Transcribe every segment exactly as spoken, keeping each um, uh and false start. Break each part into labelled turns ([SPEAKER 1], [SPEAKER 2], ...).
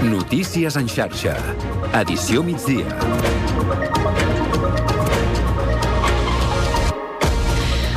[SPEAKER 1] Notícies en xarxa. Edició migdia.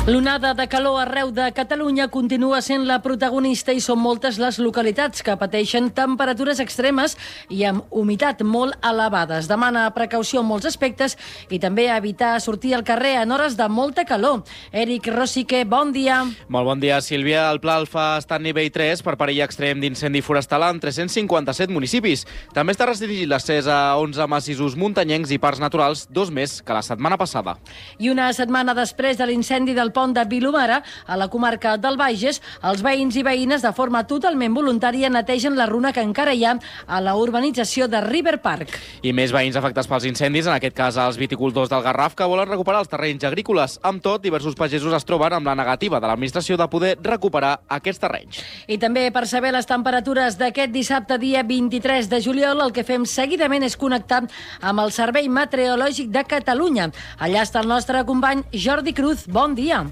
[SPEAKER 2] L'onada de calor arreu de Catalunya continua sent la protagonista i són moltes les localitats que pateixen temperatures extremes i amb humitat molt elevades. Demana precaució en molts aspectes i també evitar sortir al carrer en hores de molta calor. Eric Rosique, bon dia.
[SPEAKER 3] Molt bon dia, Sílvia. El Pla Alfa està en nivell tres per perill extrem d'incendi forestal en tres-cents cinquanta-set municipis. També està restringit l'accés a onze massissos muntanyencs i parcs naturals, dos més que la setmana passada.
[SPEAKER 2] I una setmana després de l'incendi del pont de Vilomara, a la comarca del Bages, els veïns i veïnes de forma totalment voluntària netegen la runa que encara hi ha a la urbanització de River Park.
[SPEAKER 3] I més veïns afectats pels incendis, en aquest cas els viticultors del Garraf, que volen recuperar els terrenys agrícoles. Amb tot, diversos pagesos es troben amb la negativa de l'administració de poder recuperar aquests terrenys.
[SPEAKER 2] I també per saber les temperatures d'aquest dissabte, dia vint-i-tres de juliol, el que fem seguidament és connectar amb el Servei Meteorològic de Catalunya. Allà està el nostre company Jordi Cruz. Bon dia.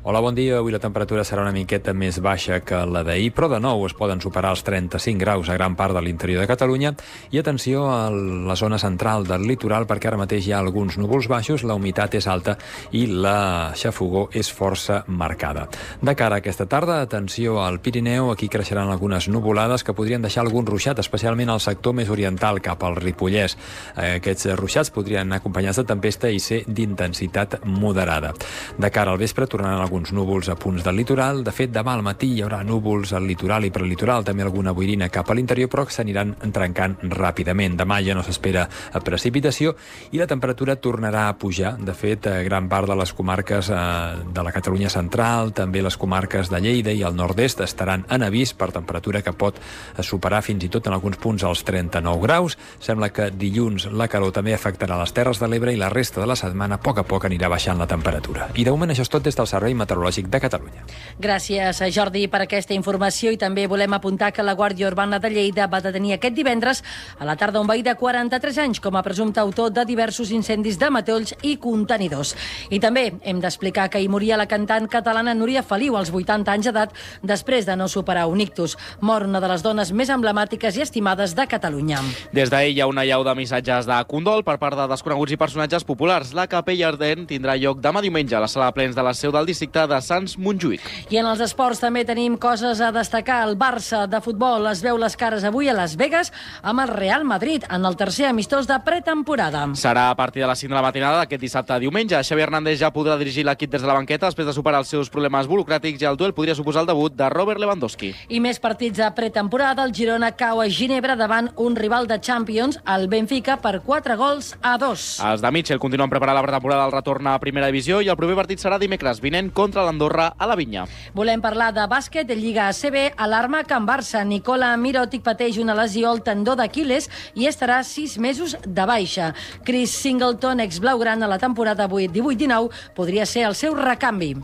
[SPEAKER 4] Hola, bon dia. Avui la temperatura serà una miqueta més baixa que la d'ahir, però de nou es poden superar els trenta-cinc graus a gran part de l'interior de Catalunya. I atenció a la zona central del litoral, perquè ara mateix hi ha alguns núvols baixos, la humitat és alta i la xafogor és força marcada. De cara a aquesta tarda, atenció al Pirineu, aquí creixeran algunes nuvolades que podrien deixar algun ruixat, especialment al sector més oriental, cap al Ripollès. Aquests ruixats podrien anar acompanyats de tempesta i ser d'intensitat moderada. De cara al vespre tornaran alguns núvols a punts del litoral. De fet, demà al matí hi haurà núvols al litoral i prelitoral, també alguna boirina cap a l'interior, però que s'aniran trencant ràpidament. Demà ja no s'espera precipitació i la temperatura tornarà a pujar. De fet, gran part de les comarques de la Catalunya central, també les comarques de Lleida i el nord-est estaran en avís per temperatura que pot superar fins i tot en alguns punts els trenta-nou graus. Sembla que dilluns la calor també afectarà les Terres de l'Ebre i la resta de la setmana a poc a poc anirà baixant la temperatura. I de moment això és tot des del Servei Meteorològic de Catalunya.
[SPEAKER 2] Gràcies, Jordi, per aquesta informació i també volem apuntar que la Guàrdia Urbana de Lleida va detenir aquest divendres a la tarda un veí de quaranta-tres anys com a presumpte autor de diversos incendis de matolls i contenidors. I també hem d'explicar que hi moria la cantant catalana Núria Feliu als vuitanta anys d'edat després de no superar un ictus. Mor una de les dones més emblemàtiques i estimades de Catalunya.
[SPEAKER 3] Des d'ahir hi ha una llau de missatges de condol per part de desconeguts i personatges populars. La capella ardent tindrà lloc demà diumenge a la sala de plens de la seu del districte de Sants Montjuïc.
[SPEAKER 2] I en els esports també tenim coses a destacar. El Barça de futbol es veu les cares avui a Las Vegas amb el Real Madrid en el tercer amistós de pretemporada.
[SPEAKER 3] Serà a partir de les cinc de la matinada d'aquest dissabte a diumenge. Xavi Hernández ja podrà dirigir l'equip des de la banqueta després de superar els seus problemes burocràtics i el duel podria suposar el debut de Robert Lewandowski.
[SPEAKER 2] I més partits de pretemporada. El Girona cau a Ginebra davant un rival de Champions, el Benfica, per quatre gols a dos.
[SPEAKER 3] Els de Mitchell continuen preparant la pretemporada del retorn a primera divisió i el proper partit serà dimecres vinent contra l'Andorra a la Vinya.
[SPEAKER 2] Volem parlar de bàsquet, de Lliga A C B, alarma Can Barça. Nicola Mirotic pateix una lesió al tendó d'Aquiles i estarà sis mesos de baixa. Chris Singleton, ex-blaugrana a la temporada divuit dinou, podria ser el seu recanvi.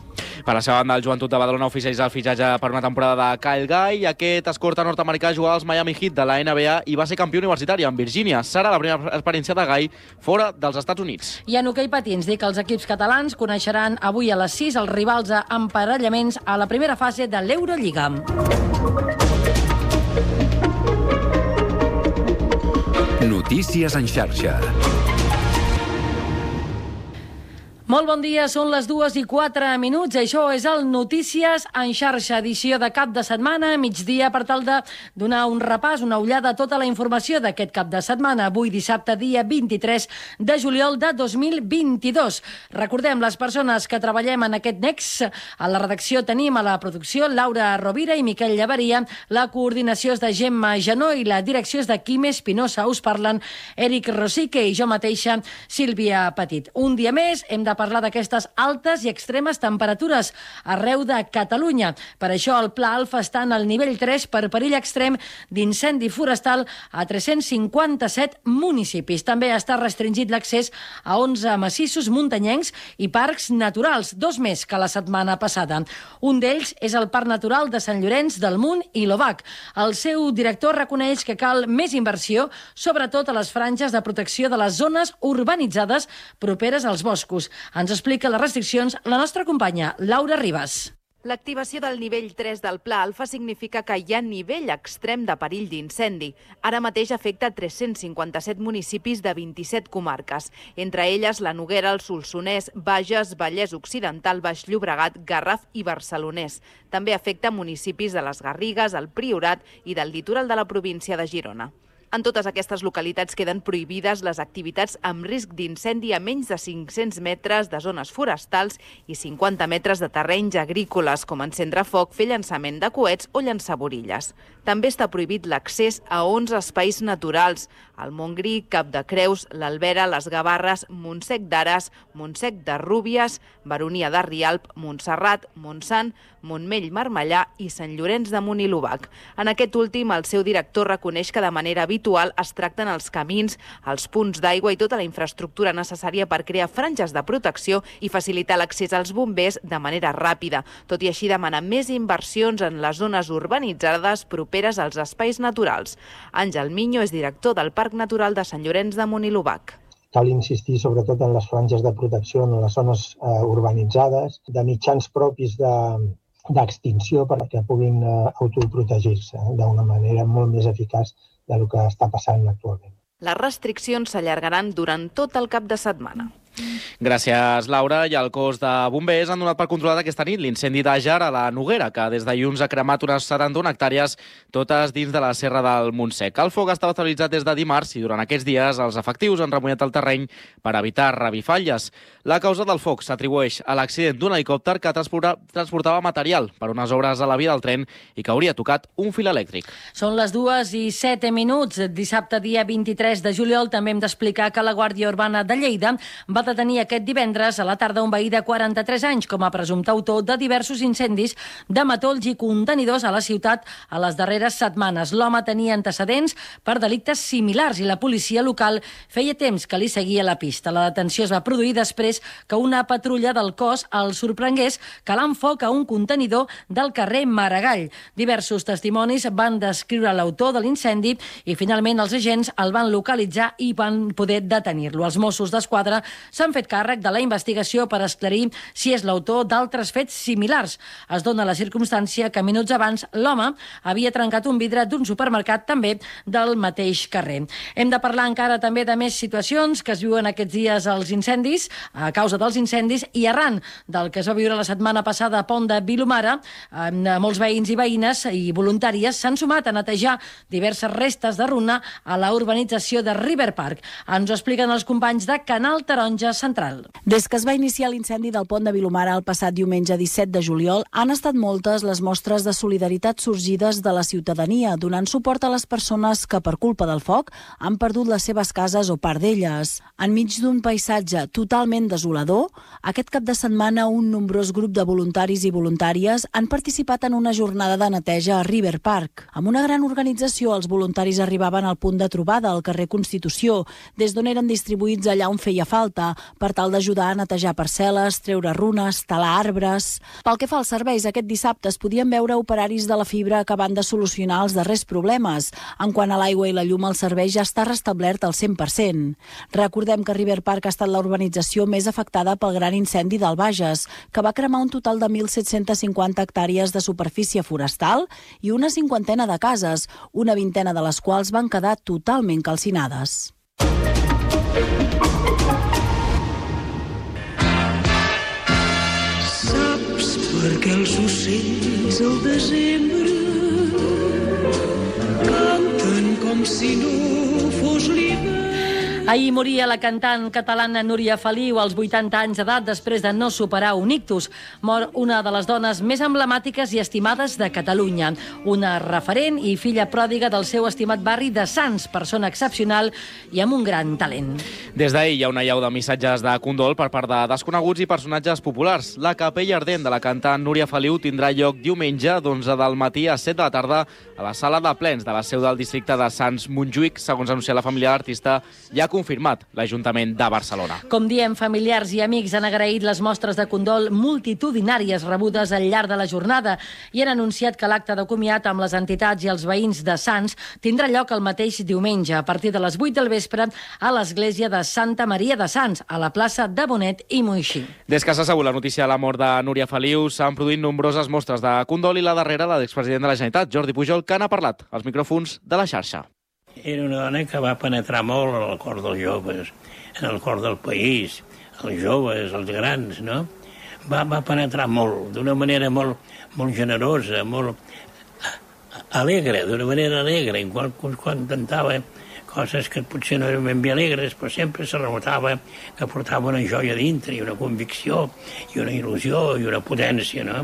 [SPEAKER 3] Per la seva banda, el Joventut de Badalona oficialitza el fitxatge per una temporada de Kyle Guy. Aquest escorta nord-americà jugava als Miami Heat de la N B A i va ser campió universitari en Virgínia. Serà la primera experiència de Guy fora dels Estats Units.
[SPEAKER 2] I en hoquei patins, dic que els equips catalans coneixeran avui a les sis els rivals a emparellaments a la primera fase de l'Eurolliga.
[SPEAKER 1] Notícies en xarxa.
[SPEAKER 2] Molt bon dia, són les dues i quatre minuts. Això és el Notícies en xarxa, edició de cap de setmana, migdia, per tal de donar un repàs, una ullada a tota la informació d'aquest cap de setmana. Avui, dissabte, dia vint-i-tres de juliol de dos mil vint-i-dos. Recordem, les persones que treballem en aquest nex, a la redacció tenim a la producció Laura Rovira i Miquel Llaveria, la coordinació és de Gemma Janó i la direcció és de Quim Espinosa. Us parlen Eric Rosique i jo mateixa, Sílvia Petit. Un dia més hem de parlar d'aquestes altes i extremes temperatures arreu de Catalunya. Per això el Pla Alfa està en el nivell tres per perill extrem d'incendi forestal a tres-cents cinquanta-set municipis. També està restringit l'accés a onze massissos muntanyencs i parcs naturals, dos més que la setmana passada. Un d'ells és el Parc Natural de Sant Llorenç del Munt i l'Obac. El seu director reconeix que cal més inversió, sobretot a les franges de protecció de les zones urbanitzades properes als boscos. Ens explica les restriccions la nostra companya Laura Ribas.
[SPEAKER 5] L'activació del nivell tres del Pla Alfa significa que hi ha nivell extrem de perill d'incendi. Ara mateix afecta tres-cents cinquanta-set municipis de vint-i-set comarques, entre elles la Noguera, el Solsonès, Bages, Vallès Occidental, Baix Llobregat, Garraf i Barcelonès. També afecta municipis de les Garrigues, el Priorat i del litoral de la província de Girona. En totes aquestes localitats queden prohibides les activitats amb risc d'incendi a menys de cinc-cents metres de zones forestals i cinquanta metres de terrenys agrícoles, com encendre foc, fer llançament de coets o llançar borilles. També està prohibit l'accés a onze espais naturals: el Montgrí, Cap de Creus, l'Albera, les Gavarres, Montsec d'Ares, Montsec de Rúbies, Baronia de Rialp, Montserrat, Montsant, Montmell Marmellà i Sant Llorenç de Munt i l'Obac. En aquest últim, el seu director reconeix que de manera habitual es tracten els camins, els punts d'aigua i tota la infraestructura necessària per crear franges de protecció i facilitar l'accés als bombers de manera ràpida. Tot i així, demana més inversions en les zones urbanitzades properes als espais naturals. Àngel Miño és director del Parc Natural de Sant Llorenç de Munt i l'Obac.
[SPEAKER 6] Cal insistir sobretot en les franges de protecció en les zones eh, urbanitzades, de mitjans propis de d'extinció perquè puguin eh, autoprotegir-se d'una manera molt més eficaç del que està passant actualment.
[SPEAKER 5] Les restriccions s'allargaran durant tot el cap de setmana.
[SPEAKER 3] Gràcies, Laura. I el cos de bombers han donat per controlat aquesta nit l'incendi d'Àger a la Noguera, que des de dilluns ha cremat unes setanta-una hectàrees, totes dins de la Serra del Montsec. El foc estava estabilitzat des de dimarts i durant aquests dies els efectius han remullat el terreny per evitar revifalles. La causa del foc s'atribueix a l'accident d'un helicòpter que transportava material per unes obres a la via del tren i que hauria tocat un fil elèctric.
[SPEAKER 2] Són les dues i set minuts. Dissabte, dia vint-i-tres de juliol, també hem d'explicar que la Guàrdia Urbana de Lleida va detenir aquest divendres a la tarda un veí de quaranta-tres anys com a presumpte autor de diversos incendis de matolls i contenidors a la ciutat a les darreres setmanes. L'home tenia antecedents per delictes similars i la policia local feia temps que li seguia la pista. La detenció es va produir després que una patrulla del cos el sorprengués calant foc a un contenidor del carrer Maragall. Diversos testimonis van descriure l'autor de l'incendi i finalment els agents el van localitzar i van poder detenir-lo. Els Mossos d'Esquadra s'han fet càrrec de la investigació per esclarir si és l'autor d'altres fets similars. Es dona la circumstància que minuts abans l'home havia trencat un vidre d'un supermercat també del mateix carrer. Hem de parlar encara també de més situacions que es viuen aquests dies als incendis, a causa dels incendis, i arran del que es va viure la setmana passada a Pont de Vilomara, molts veïns i veïnes i voluntàries s'han sumat a netejar diverses restes de runa a la urbanització de River Park. Ens ho expliquen els companys de Canal Taronja Central.
[SPEAKER 7] Des que es va iniciar l'incendi del Pont de Vilomara el passat diumenge disset de juliol, han estat moltes les mostres de solidaritat sorgides de la ciutadania, donant suport a les persones que, per culpa del foc, han perdut les seves cases o part d'elles. Enmig d'un paisatge totalment desolador, aquest cap de setmana un nombrós grup de voluntaris i voluntàries han participat en una jornada de neteja a River Park. Amb una gran organització, els voluntaris arribaven al punt de trobada, al carrer Constitució, des d'on eren distribuïts allà on feia falta, per tal d'ajudar a netejar parcel·les, treure runes, talar arbres. Pel que fa als serveis, aquest dissabte es podien veure operaris de la fibra acabant de solucionar els darrers problemes. En quant a l'aigua i la llum, el servei ja està restablert al cent per cent. Recordem que River Park ha estat la urbanització més afectada pel gran incendi del Bages, que va cremar un total de mil set-cents cinquanta hectàrees de superfície forestal i una cinquantena de cases, una vintena de les quals van quedar totalment calcinades.
[SPEAKER 8] Saps per què els ocells al desembre canten com si no fos l'hivern?
[SPEAKER 2] Ahir moria la cantant catalana Núria Feliu als vuitanta anys d'edat després de no superar un ictus. Mor una de les dones més emblemàtiques i estimades de Catalunya. Una referent i filla pròdiga del seu estimat barri de Sants, persona excepcional i amb un gran talent.
[SPEAKER 3] Des d'ahir hi ha una llau de missatges de condol per part de desconeguts i personatges populars. La capella ardent de la cantant Núria Feliu tindrà lloc diumenge d'onze del matí a set de la tarda a la sala de plens de la seu del districte de Sants Montjuïc. Segons ha anunciat la família de l'artista, hi ha confirmat l'Ajuntament de Barcelona.
[SPEAKER 2] Com diem, familiars i amics han agraït les mostres de condol multitudinàries rebudes al llarg de la jornada i han anunciat que l'acte de comiat amb les entitats i els veïns de Sants tindrà lloc el mateix diumenge, a partir de les vuit del vespre, a l'església de Santa Maria de Sants, a la plaça de Bonet i Moixí.
[SPEAKER 3] Des que s'ha sabut la notícia de la mort de Núria Feliu, s'han produït nombroses mostres de condol i la darrera, la de l'expresident de la Generalitat, Jordi Pujol, que n'ha parlat als micròfons de la xarxa.
[SPEAKER 9] Era una dona que va penetrar molt en el cor dels joves, en el cor del país, els joves, els grans, no? Va, va penetrar molt, d'una manera molt, molt generosa, molt alegre, d'una manera alegre, quan, quan cantava coses que potser no eren ben bé alegres, però sempre se notava que portava una joia dintre i una convicció i una il·lusió i una potència, no?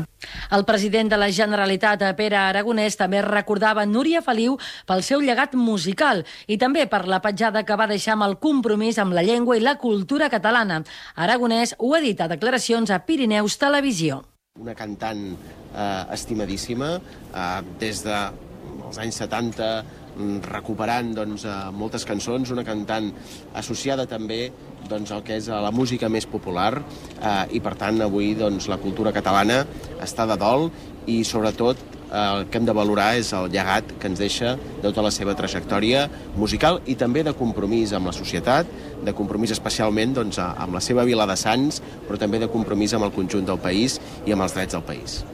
[SPEAKER 2] El president de la Generalitat, Pere Aragonès, també recordava Núria Feliu pel seu llegat musical i també per la petjada que va deixar amb el compromís amb la llengua i la cultura catalana. Aragonès ho ha dit a declaracions a Pirineus Televisió.
[SPEAKER 10] Una cantant eh, estimadíssima, eh, des dels anys setanta, recuperant doncs, moltes cançons, una cantant associada també doncs, al que és la música més popular eh, i per tant avui doncs, la cultura catalana està de dol i sobretot eh, el que hem de valorar és el llegat que ens deixa de tota la seva trajectòria musical i també de compromís amb la societat, de compromís especialment doncs, amb la seva vila de Sants, però també de compromís amb el conjunt del país i amb els drets del país.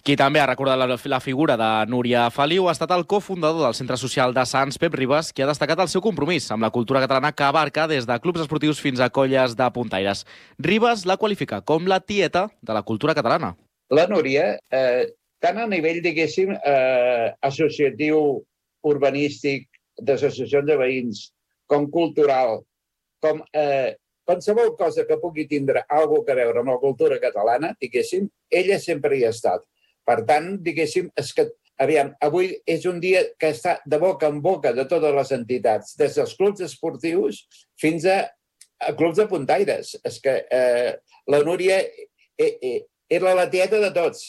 [SPEAKER 3] Qui també ha recordat la, la figura de Núria Feliu ha estat el cofundador del Centre Social de Sants, Pep Ribas, qui ha destacat el seu compromís amb la cultura catalana que abarca des de clubs esportius fins a colles de puntaires. Ribas la qualifica com la tieta de la cultura catalana.
[SPEAKER 11] La Núria, eh, tant a nivell, diguéssim, eh, associatiu, urbanístic, d'associacions de veïns, com cultural, com eh, qualsevol cosa que pugui tindre alguna cosa a veure amb la cultura catalana, diguéssim, ella sempre hi ha estat. Per tant, diguéssim, és que, aviam, avui és un dia que està de boca en boca de totes les entitats, des dels clubs esportius fins a, a clubs de puntaires. És que eh, la Núria eh, eh, era la tieta de tots.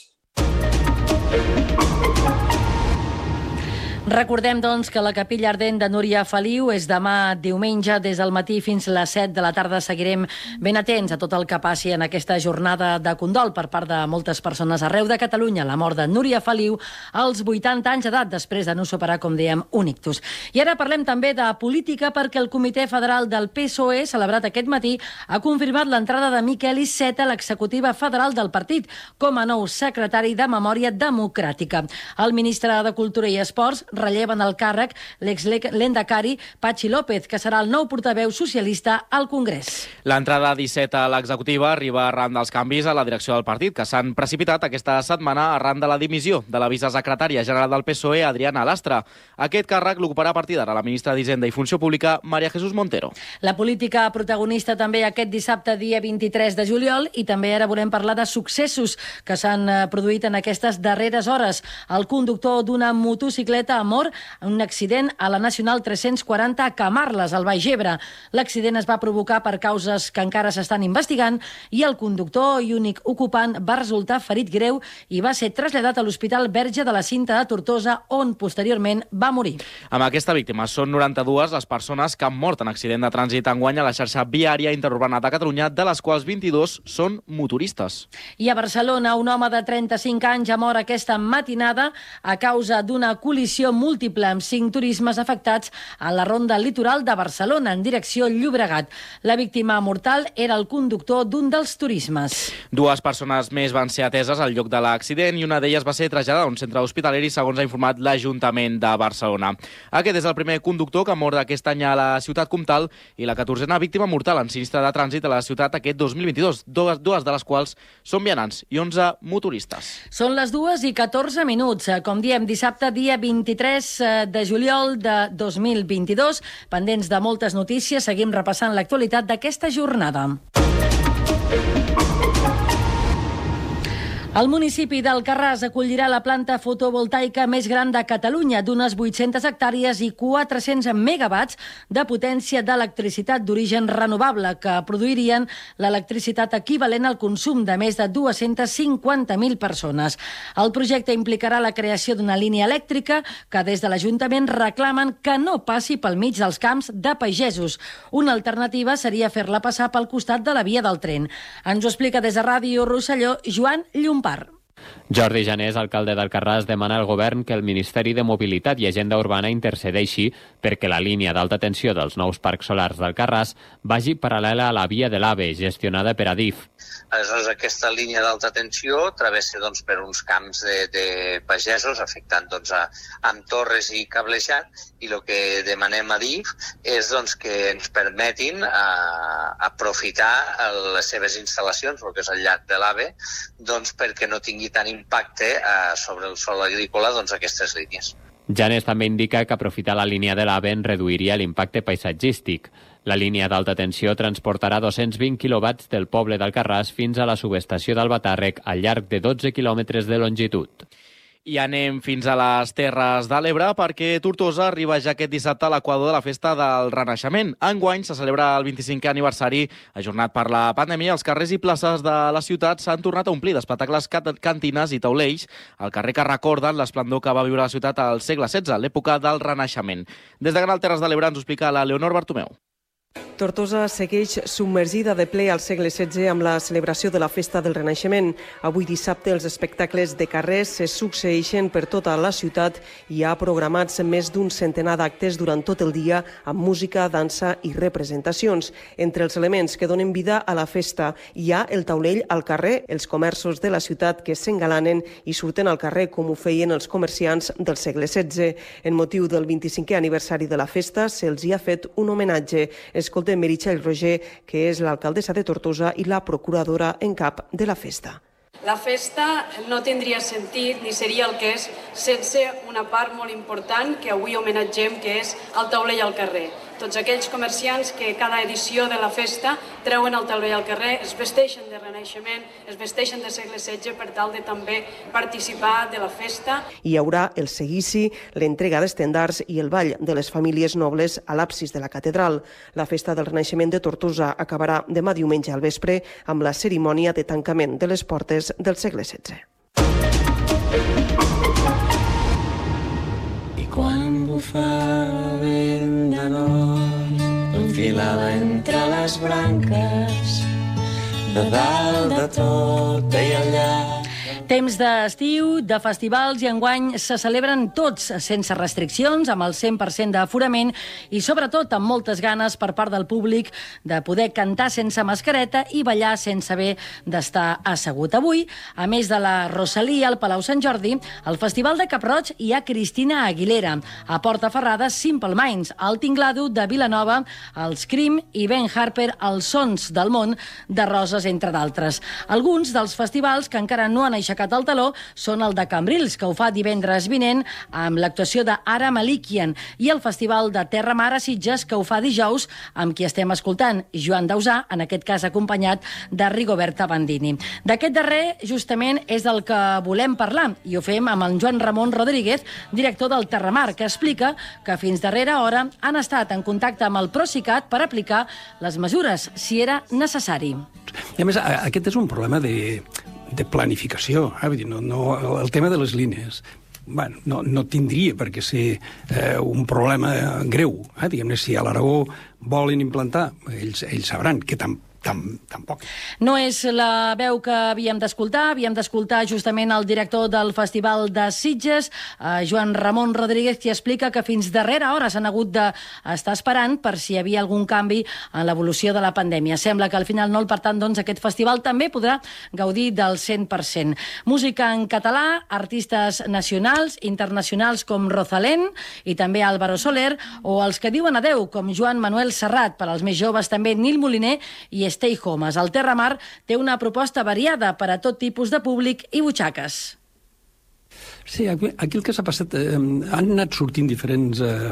[SPEAKER 2] Recordem, doncs, que la capilla ardent de Núria Feliu és demà diumenge des del matí fins a les set de la tarda. Seguirem ben atents a tot el que passi en aquesta jornada de condol per part de moltes persones arreu de Catalunya. La mort de Núria Feliu als vuitanta anys d'edat, després de no superar, com dèiem, un ictus. I ara parlem també de política perquè el Comitè Federal del P S O E, celebrat aquest matí, ha confirmat l'entrada de Miquel Iceta a l'executiva federal del partit com a nou secretari de Memòria Democràtica. El ministre de Cultura i Esports relleva en el càrrec l'ex-lehendakari Patxi López, que serà el nou portaveu socialista al Congrés.
[SPEAKER 3] L'entrada d'Iceta a l'executiva arriba arran dels canvis a la direcció del partit, que s'han precipitat aquesta setmana arran de la dimissió de la vicesecretària general del P S O E, Adriana Lastra. Aquest càrrec l'ocuparà a partir d'ara la ministra d'Hisenda i Funció Pública, María Jesús Montero.
[SPEAKER 2] La política protagonista també aquest dissabte, dia vint-i-tres de juliol, i també ara volem parlar de successos que s'han produït en aquestes darreres hores. El conductor d'una motocicleta ha mort en un accident a la Nacional tres-cents quaranta a Camarles, al Baix Ebre. L'accident es va provocar per causes que encara s'estan investigant i el conductor i únic ocupant va resultar ferit greu i va ser traslladat a l'Hospital Verge de la Cinta de Tortosa, on posteriorment va morir.
[SPEAKER 3] Amb aquesta víctima són noranta-dues les persones que han mort en accident de trànsit enguany a la xarxa viària interurbana de Catalunya, de les quals vint-i-dos són motoristes.
[SPEAKER 2] I a Barcelona, un home de trenta-cinc anys ha mort aquesta matinada a causa d'una col·lisió múltiple amb cinc turismes afectats a la ronda litoral de Barcelona en direcció Llobregat. La víctima mortal era el conductor d'un dels turismes.
[SPEAKER 3] Dues persones més van ser ateses al lloc de l'accident i una d'elles va ser traslladada a un centre hospitalari, segons ha informat l'Ajuntament de Barcelona. Aquest és el primer conductor que mor aquest any a la ciutat comtal i la catorzena víctima mortal en sinistre de trànsit a la ciutat aquest dos mil vint-i-dos, dues, dues de les quals són vianants i onze motoristes.
[SPEAKER 2] Són les dues i catorze minuts. Com diem, dissabte, dia vint-i-tres de juliol de dos mil vint-i-dos. Pendents de moltes notícies, seguim repassant l'actualitat d'aquesta jornada. El municipi d'Alcarràs acollirà la planta fotovoltaica més gran de Catalunya, d'unes vuit-centes hectàrees i quatre-cents megawatts de potència d'electricitat d'origen renovable, que produirien l'electricitat equivalent al consum de més de dues-centes cinquanta mil persones. El projecte implicarà la creació d'una línia elèctrica que des de l'Ajuntament reclamen que no passi pel mig dels camps de pagesos. Una alternativa seria fer-la passar pel costat de la via del tren. Ens ho explica des de Ràdio Rosselló Joan Llompart.
[SPEAKER 12] Jordi Janés, alcalde d'Alcarràs, demana al govern que el Ministeri de Mobilitat i Agenda Urbana intercedeixi perquè la línia d'alta tensió dels nous parcs solars d'Alcarràs vagi paral·lela a la via de l'AVE, gestionada per Adif.
[SPEAKER 13] Aleshores, aquesta línia d'alta tensió travessa doncs, per uns camps de, de pagesos, afectant doncs, a, amb torres i cablejat, i el que demanem a Adif és doncs, que ens permetin a, aprofitar les seves instal·lacions, el que és el llac de l'AVE, doncs, perquè no tingui tant impacte eh, sobre el sòl agrícola doncs, aquestes línies.
[SPEAKER 12] Janés també indica que aprofitar la línia de l'AVE en reduiria l'impacte paisatgístic. La línia d'alta tensió transportarà dos-cents vint quilowatts del poble d'Alcarràs fins a la subestació d'Albatàrrec al llarg de dotze quilòmetres de longitud.
[SPEAKER 3] I anem fins a les Terres de l'Ebre perquè Tortosa arriba ja aquest dissabte a l'equador de la festa del Renaixement. Enguany se celebra el vint-i-cinquè aniversari. Ajornat per la pandèmia, els carrers i places de la ciutat s'han tornat a omplir d'espectacles, cantines i taulells al carrer que recorden l'esplendor que va viure la ciutat al segle setze, l'època del Renaixement. Des de Canal Terres de l'Ebre ens ho explica la Leonor Bartomeu.
[SPEAKER 14] Tortosa segueix submergida de ple al segle setze amb la celebració de la Festa del Renaixement. Avui dissabte els espectacles de carrers se succeeixen per tota la ciutat i hi ha programats més d'un centenar d'actes durant tot el dia amb música, dansa i representacions. Entre els elements que donen vida a la festa hi ha el taulell al carrer, els comerços de la ciutat que s'engalanen i surten al carrer com ho feien els comerciants del segle setze. En motiu del vint-i-cinquè aniversari de la festa se'ls hi ha fet un homenatge. Escoltem Meritxell Roger, que és l'alcaldessa de Tortosa i la procuradora en cap de la festa.
[SPEAKER 15] La festa no tindria sentit ni seria el que és sense una part molt important que avui homenatgem, que és el taulell al carrer. Tots aquells comerciants que cada edició de la festa treuen el taulell al carrer, es vesteixen de Renaixement, es vesteixen de segle setze per tal de també participar de la festa.
[SPEAKER 14] Hi haurà el seguici, l'entrega d'estendards i el ball de les famílies nobles a l'absis de la catedral. La festa del Renaixement de Tortosa acabarà demà diumenge al vespre amb la cerimònia de tancament de les portes del segle setze.
[SPEAKER 8] I quan bufava vent de nord, enfilava entre les branques, de dalt de tot i allà.
[SPEAKER 2] Temps d'estiu, de festivals, i enguany se celebren tots sense restriccions, amb el cent per cent d'aforament i sobretot amb moltes ganes per part del públic de poder cantar sense mascareta i ballar sense haver d'estar assegut. Avui, a més de la Rosalia al Palau Sant Jordi, al Festival de Cap-roig hi ha Cristina Aguilera, a Portaferrada Simple Minds, al Tinglado de Vilanova, els Cream i Ben Harper, els Sons del Món de Roses, entre d'altres. Alguns dels festivals que encara no han aixecat el taló són el de Cambrils, que ho fa divendres vinent amb l'actuació d'Ara Malikian, i el Festival de Terra Mar a Sitges, que ho fa dijous amb qui estem escoltant, Joan Dausà, en aquest cas acompanyat de Rigoberta Bandini. D'aquest darrer, justament, és del que volem parlar, i ho fem amb el Joan Ramon Rodríguez, director del Terra Mar, que explica que fins darrera hora han estat en contacte amb el Procicat per aplicar les mesures, si era necessari.
[SPEAKER 16] I a més, aquest és un problema de... de planificació, eh? Vull dir, no, no, el tema de les línies, bueno, no, no tindria per què ser eh, un problema greu. Eh? Diguem-ne, si a l'Aragó volen implantar, ells, ells sabran que tampoc Tam, tampoc.
[SPEAKER 2] No és la veu que havíem d'escoltar, havíem d'escoltar justament el director del Festival de Sitges, eh, Joan Ramon Rodríguez, qui explica que fins darrera hora s'han hagut d'estar esperant per si hi havia algun canvi en l'evolució de la pandèmia. Sembla que al final no, per tant, doncs, aquest festival també podrà gaudir del cent per cent. Música en català, artistes nacionals, internacionals com Rosalén i també Álvaro Soler, o els que diuen adeu, com Joan Manuel Serrat, per als més joves també Nil Moliner i Stay Homes. El Terra Mar té una proposta variada per a tot tipus de públic i butxaques.
[SPEAKER 16] Sí, aquí, aquí el que s'ha passat... Eh, han anat sortint diferents eh,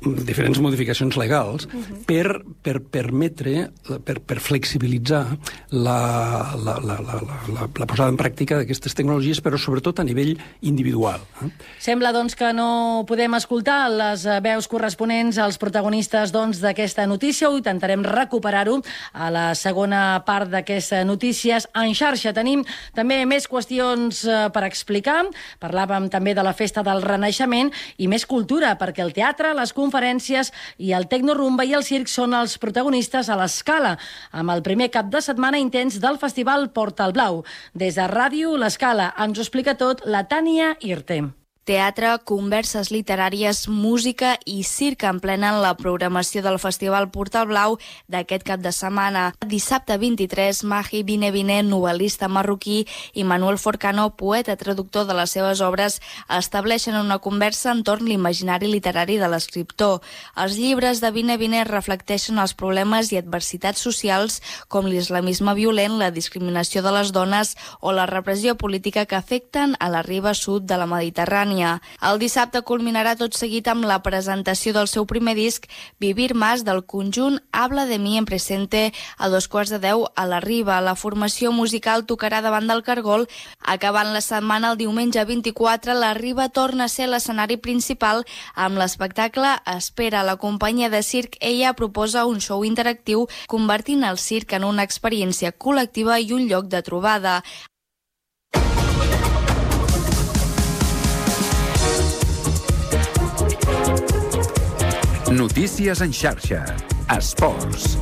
[SPEAKER 16] diferents modificacions legals uh-huh. per, per permetre, per, per flexibilitzar la, la, la, la, la, la posada en pràctica d'aquestes tecnologies, però sobretot a nivell individual. Eh?
[SPEAKER 2] Sembla doncs que no podem escoltar les veus corresponents als protagonistes doncs, d'aquesta notícia. Ho intentarem recuperar-ho a la segona part d'aquestes notícies en xarxa. Tenim també més qüestions per explicar. Parlàvem també de la Festa del Renaixement i més cultura, perquè el teatre, les conferències i el tecnorumba i el circ són els protagonistes a l'Escala, amb el primer cap de setmana intens del Festival Portal Blau. Des de Ràdio L'Escala ens ho explica tot la Tània Irte.
[SPEAKER 17] Teatre, converses literàries, música i circ emplenen la programació del Festival Portal Blau d'aquest cap de setmana. Dissabte vint-i-tres, Mahi Bine Bine, novel·lista marroquí, i Manuel Forcano, poeta traductor de les seves obres, estableixen una conversa entorn l'imaginari literari de l'escriptor. Els llibres de Bine Bine reflecteixen els problemes i adversitats socials com l'islamisme violent, la discriminació de les dones o la repressió política que afecten a la riba sud de la Mediterrània. El dissabte culminarà tot seguit amb la presentació del seu primer disc, Vivir Más, del conjunt Habla de mi en presente, a dos quarts de deu a la Riba. La formació musical tocarà davant del Cargol. Acabant la setmana, el diumenge vint-i-quatre, la Riba torna a ser l'escenari principal amb l'espectacle Espera. La companyia de circ Ella proposa un show interactiu convertint el circ en una experiència col·lectiva i un lloc de trobada.
[SPEAKER 1] Notícies en xarxa. Esports.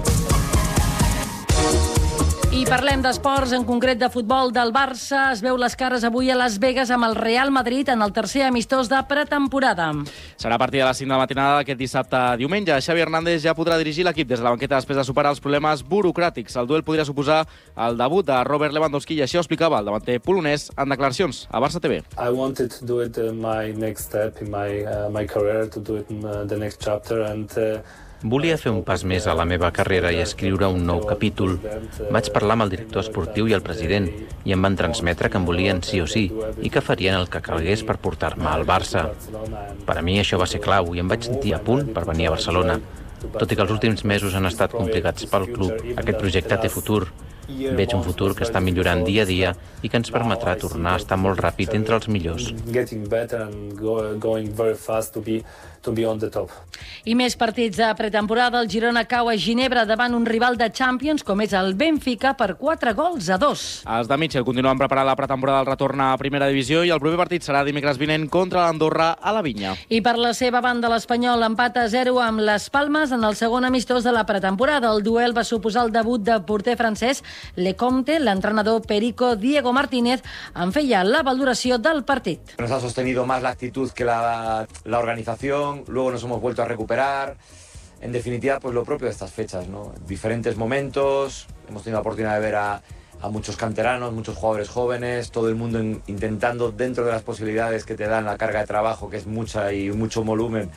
[SPEAKER 2] I parlem d'esports, en concret de futbol del Barça. Es veu les cares avui a Las Vegas amb el Real Madrid en el tercer amistós de pretemporada.
[SPEAKER 3] Serà a partir de les cinc de la matinada d'aquest dissabte a diumenge. Xavi Hernández ja podrà dirigir l'equip des de la banqueta després de superar els problemes burocràtics. El duel podria suposar el debut de Robert Lewandowski i així ho explicava el davanter polonès en declaracions a Barça T V.
[SPEAKER 18] I wanted to do it in my next step in my, uh, my career, to do it in uh, the next chapter and... Uh...
[SPEAKER 19] Volia fer un pas més a la meva carrera i escriure un nou capítol. Vaig parlar amb el director esportiu i el president i em van transmetre que em volien sí o sí i que farien el que calgués per portar-me al Barça. Per a mi això va ser clau i em vaig sentir a punt per venir a Barcelona. Tot i que els últims mesos han estat complicats pel club, aquest projecte té futur. Veig un futur que està millorant dia a dia i que ens permetrà tornar a estar molt ràpid entre els millors.
[SPEAKER 2] I més partits de pretemporada. El Girona cau a Ginebra davant un rival de Champions com és el Benfica per quatre gols a dos.
[SPEAKER 3] Els de Mitchell continuen preparant la pretemporada del retorn a primera divisió i el proper partit serà dimecres vinent contra l'Andorra a la Vinya.
[SPEAKER 2] I per la seva banda, l'Espanyol empat a zero amb les Palmes en el segon amistós de la pretemporada. El duel va suposar el debut de porter francès Lecomte. L'entrenador Perico Diego Martínez en feia la valoració del partit.
[SPEAKER 20] Nos ha sostenido más la actitud que la, la organización. Luego nos hemos vuelto a recuperar. En definitiva, pues lo propio de estas fechas, ¿no? Diferentes momentos, hemos tenido la oportunidad de ver a, a muchos canteranos, muchos jugadores jóvenes, todo el mundo in, intentando, dentro de las posibilidades que te dan la carga de trabajo, que es mucha y mucho volumen,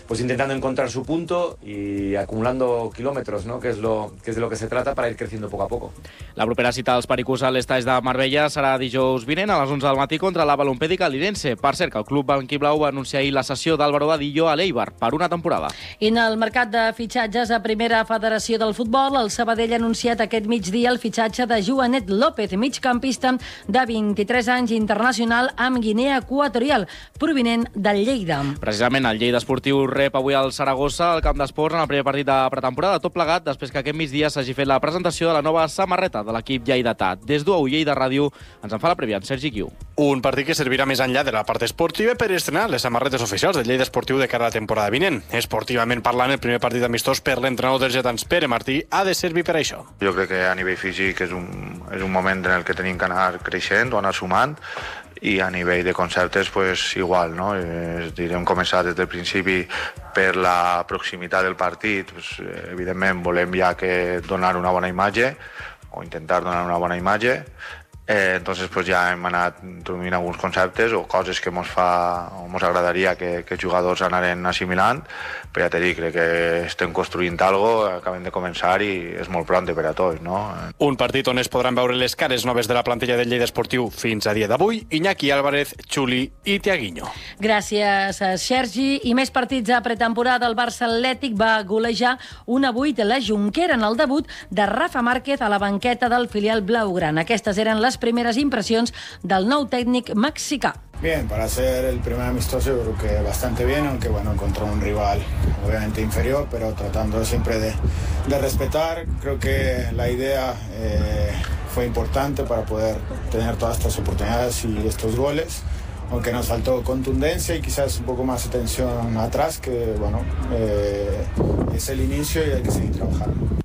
[SPEAKER 20] pues intentando encontrar su punto y acumulando kilómetros, ¿no? Que es, lo, que es de lo que se trata para ir creciendo poco a poco.
[SPEAKER 3] La propera cita dels pericos a l'estaix de Marbella serà dijous vinent a les onze del matí contra la Balompèdica Lirense. Per cert, que el club blanquiblau va anunciar ahir la cessió d'Álvaro Vadillo a l'Eibar per una temporada.
[SPEAKER 2] I en el mercat de fitxatges a Primera Federació del Futbol, el Sabadell ha anunciat aquest migdia el fitxatge de Joanet López, migcampista de vint-i-tres anys, internacional amb Guinea Equatorial, provinent del Lleida.
[SPEAKER 3] Precisament el Lleida Esportiu rep avui al Saragossa, al camp d'esports, en el primer partit de pretemporada, tot plegat després que aquest migdia s'hagi fet la presentació de la nova samarreta de l'equip lleidatà. Des d'U A U Lleida Ràdio ens en fa la prèvia en Sergi Guiu.
[SPEAKER 21] Un partit que servirà més enllà de la part esportiva per estrenar les samarretes oficials del Lleida Esportiu de cara a la temporada vinent. Esportivament parlant, el primer partit amistós per l'entrenador dels lletans, Pere Martí, ha de servir per això.
[SPEAKER 22] Jo crec que a nivell físic és un, és un moment en el que tenim que anar creixent o anar sumant, i a nivell de conceptes pues igual, no? És dir, hem començat des del principi per la proximitat del partit, pues, evidentment volem ja que donar una bona imatge o intentar donar una bona imatge, Eh, entonces pues ja hem anat introduint alguns conceptes o coses que ens fa o ens agradaria que, que els jugadors anaren assimilant, però ja t'he dit, crec que estem construint algo, acabem de començar i és molt pront per a tots, no?
[SPEAKER 21] Un partit on es podran veure les cares noves de la plantilla del Lleida Esportiu fins a dia d'avui, Iñaki Álvarez, Xuli i Tiaguinho.
[SPEAKER 2] Gràcies, Sergi. I més partits a pretemporada. El Barça Atlètic va golejar un a vuit a la Jonquera en el debut de Rafa Márquez a la banqueta del filial blaugrana. Aquestes eren les primeres impressions del nou tècnic mexicà.
[SPEAKER 4] Bien, para ser el primer amistoso yo creo que bastante bien, aunque bueno, contra un rival obviamente inferior, pero tratando siempre de, de respetar. Creo que la idea eh, fue importante para poder tener todas estas oportunidades y estos goles, aunque nos faltó contundencia y quizás un poco más atención atrás, que bueno, eh, es el inicio y hay que seguir trabajando.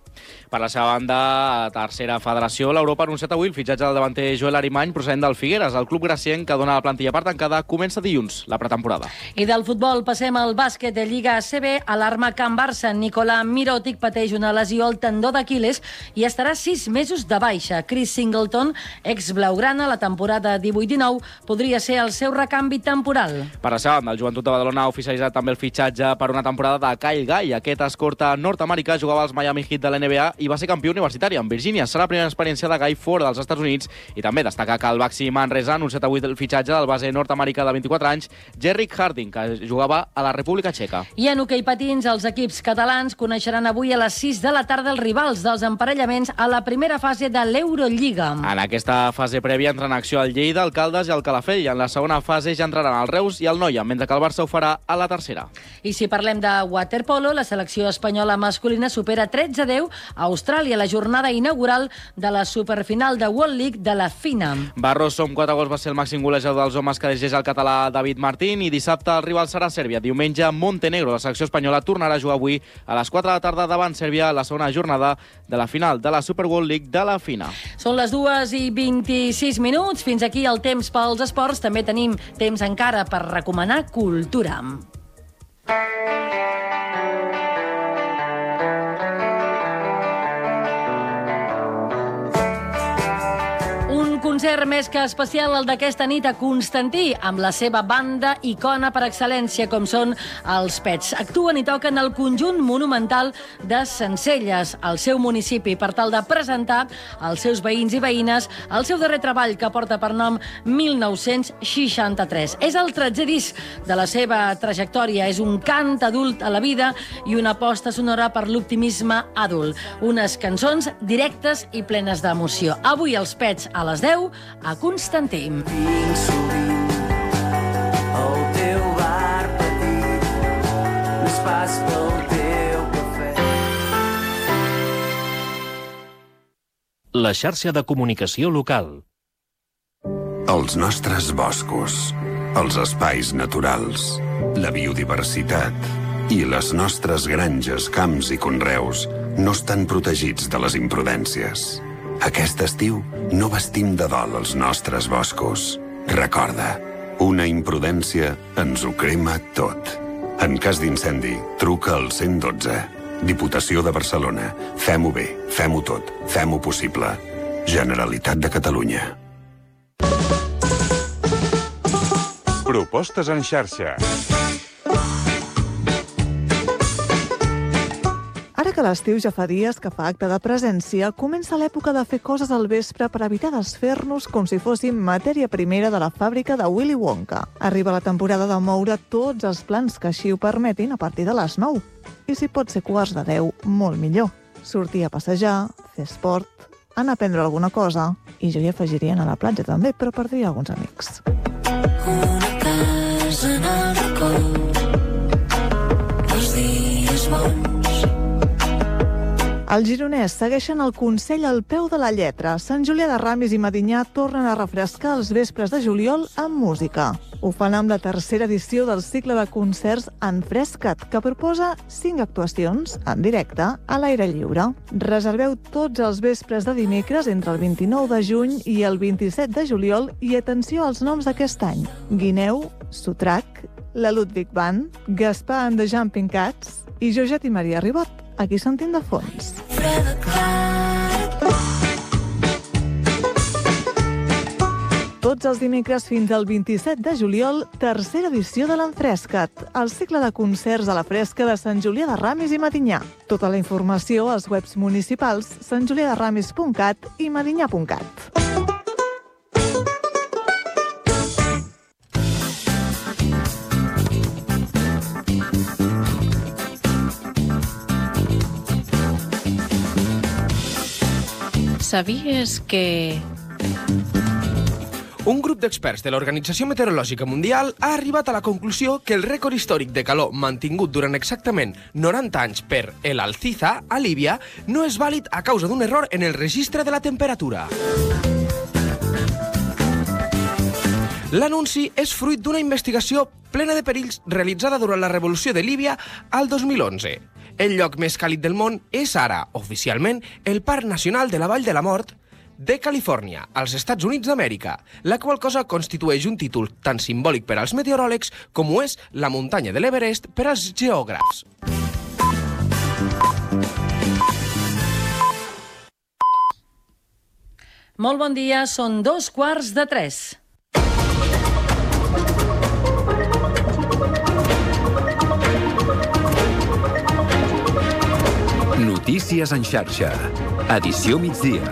[SPEAKER 3] Per la seva banda, a tercera federació, l'Europa ha anunciat avui el fitxatge del davanter Joel Arimany procedent del Figueres. El club gracienc, que dona la plantilla per tancada, comença dilluns la pretemporada.
[SPEAKER 2] I del futbol passem al bàsquet de Lliga A C B. Alarma Can Barça. Nicolà Mirotic pateix una lesió al tendó d'Aquiles i estarà sis mesos de baixa. Chris Singleton, ex-blaugrana, la temporada divuit dinou, podria ser el seu recanvi temporal.
[SPEAKER 3] Per la seva banda, el Joventut de Badalona ha oficialitzat també el fitxatge per una temporada de Kyle Guy. Aquest escorta nord-americà jugava als Miami Heat de la N B A i va ser campió universitari en Virgínia. Serà la primera experiència de Guy fora dels Estats Units i també destaca que el Baxi Manresa ha anunciat avui el fitxatge del base nord-americà de vint-i-quatre anys, Jerrick Harding, que jugava a la República Txeca.
[SPEAKER 2] I en hoquei patins, els equips catalans coneixeran avui a les sis de la tarda els rivals dels emparellaments a la primera fase de l'Eurolliga.
[SPEAKER 3] En aquesta fase prèvia entren en acció el Lleida, el Caldes i el Calafell. I en la segona fase ja entraran el Reus i el Noia, mentre que el Barça ho farà a la tercera.
[SPEAKER 2] I si parlem de waterpolo, la selecció espanyola masculina supera tretze a deu a Austràlia, la jornada inaugural de la superfinal de World League de la FINA.
[SPEAKER 3] Barroso, amb quatre gols, va ser el màxim golejador dels homes que dirigeix el català David Martín, i dissabte el rival serà Sèrbia. Diumenge, Montenegro. La selecció espanyola tornarà a jugar avui a les quatre de la tarda davant Sèrbia a la segona jornada de la final de la Super World League de la FINA.
[SPEAKER 2] Són les dues i vint-i-sis minuts. Fins aquí el temps pels esports. També tenim temps encara per recomanar cultura. Concert més que especial el d'aquesta nit a Constantí, amb la seva banda icona per excel·lència, com són els Pets. Actuen i toquen el conjunt monumental de Sencelles, al seu municipi, per tal de presentar als seus veïns i veïnes el seu darrer treball, que porta per nom mil nou-cents seixanta-tres. És el tretzè disc de la seva trajectòria. És un cant adult a la vida i una aposta sonora per l'optimisme adult. Unes cançons directes i plenes d'emoció. Avui els Pets a les deu a Constantí.
[SPEAKER 8] Vinc sovint al teu bar petit, més pas pel teu cafè.
[SPEAKER 6] La xarxa de comunicació local.
[SPEAKER 23] Els nostres boscos, els espais naturals, la biodiversitat i les nostres granges, camps i conreus no estan protegits de les imprudències. Aquest estiu no vestim de dol els nostres boscos. Recorda, una imprudència ens ho crema tot. En cas d'incendi, truca al cent i dotze. Diputació de Barcelona. Fem-ho bé, fem-ho tot, fem-ho possible. Generalitat de Catalunya.
[SPEAKER 24] Propostes en xarxa.
[SPEAKER 25] Ara que l'estiu ja fa dies que fa acte de presència, comença l'època de fer coses al vespre per evitar desfer-nos com si fóssim matèria primera de la fàbrica de Willy Wonka. Arriba la temporada de moure tots els plans que així ho permetin a partir de les nou. I si pot ser quarts de deu, molt millor. Sortir a passejar, fer esport, anar a prendre alguna cosa, i jo hi afegiria anar a la platja també, però perdria alguns amics.
[SPEAKER 8] Una casa en el racó, els dies bons.
[SPEAKER 25] Els gironès segueixen el consell al peu de la lletra. Sant Julià de Ramis i Medinyà tornen a refrescar els vespres de juliol amb música. Ho fan amb la tercera edició del cicle de concerts Enfresca't, que proposa cinc actuacions en directe a l'aire lliure. Reserveu tots els vespres de dimecres entre el vint-i-nou de juny i el vint-i-set de juliol i atenció als noms d'aquest any: Guineu, Sotrac, la Ludwig Band, Gaspar and the Jumping Cats i Jojet i Maria Ribot. Aquí sentim de fons. tots els dimecres fins al vint-i-set de juliol, tercera edició de l'Enfresca't, el cicle de concerts a la fresca de Sant Julià de Ramis i Medinyà. Tota la informació als webs municipals sant julià de ramis punt cat i medinyà punt cat.
[SPEAKER 5] Sabies que...
[SPEAKER 7] Un grup d'experts de l'Organització Meteorològica Mundial ha arribat a la conclusió que el rècord històric de calor mantingut durant exactament noranta anys per el Alziza, a Líbia, no és vàlid a causa d'un error en el registre de la temperatura. L'anunci és fruit d'una investigació plena de perills realitzada durant la Revolució de Líbia al dos mil onze. El lloc més càlid del món és ara, oficialment, el Parc Nacional de la Vall de la Mort de Califòrnia, als Estats Units d'Amèrica, la qual cosa constitueix un títol tan simbòlic per als meteoròlegs com ho és la muntanya de l'Everest per als geògrafs.
[SPEAKER 2] Molt bon dia, són dos quarts de tres.
[SPEAKER 1] Notícies en xarxa. Edició migdia.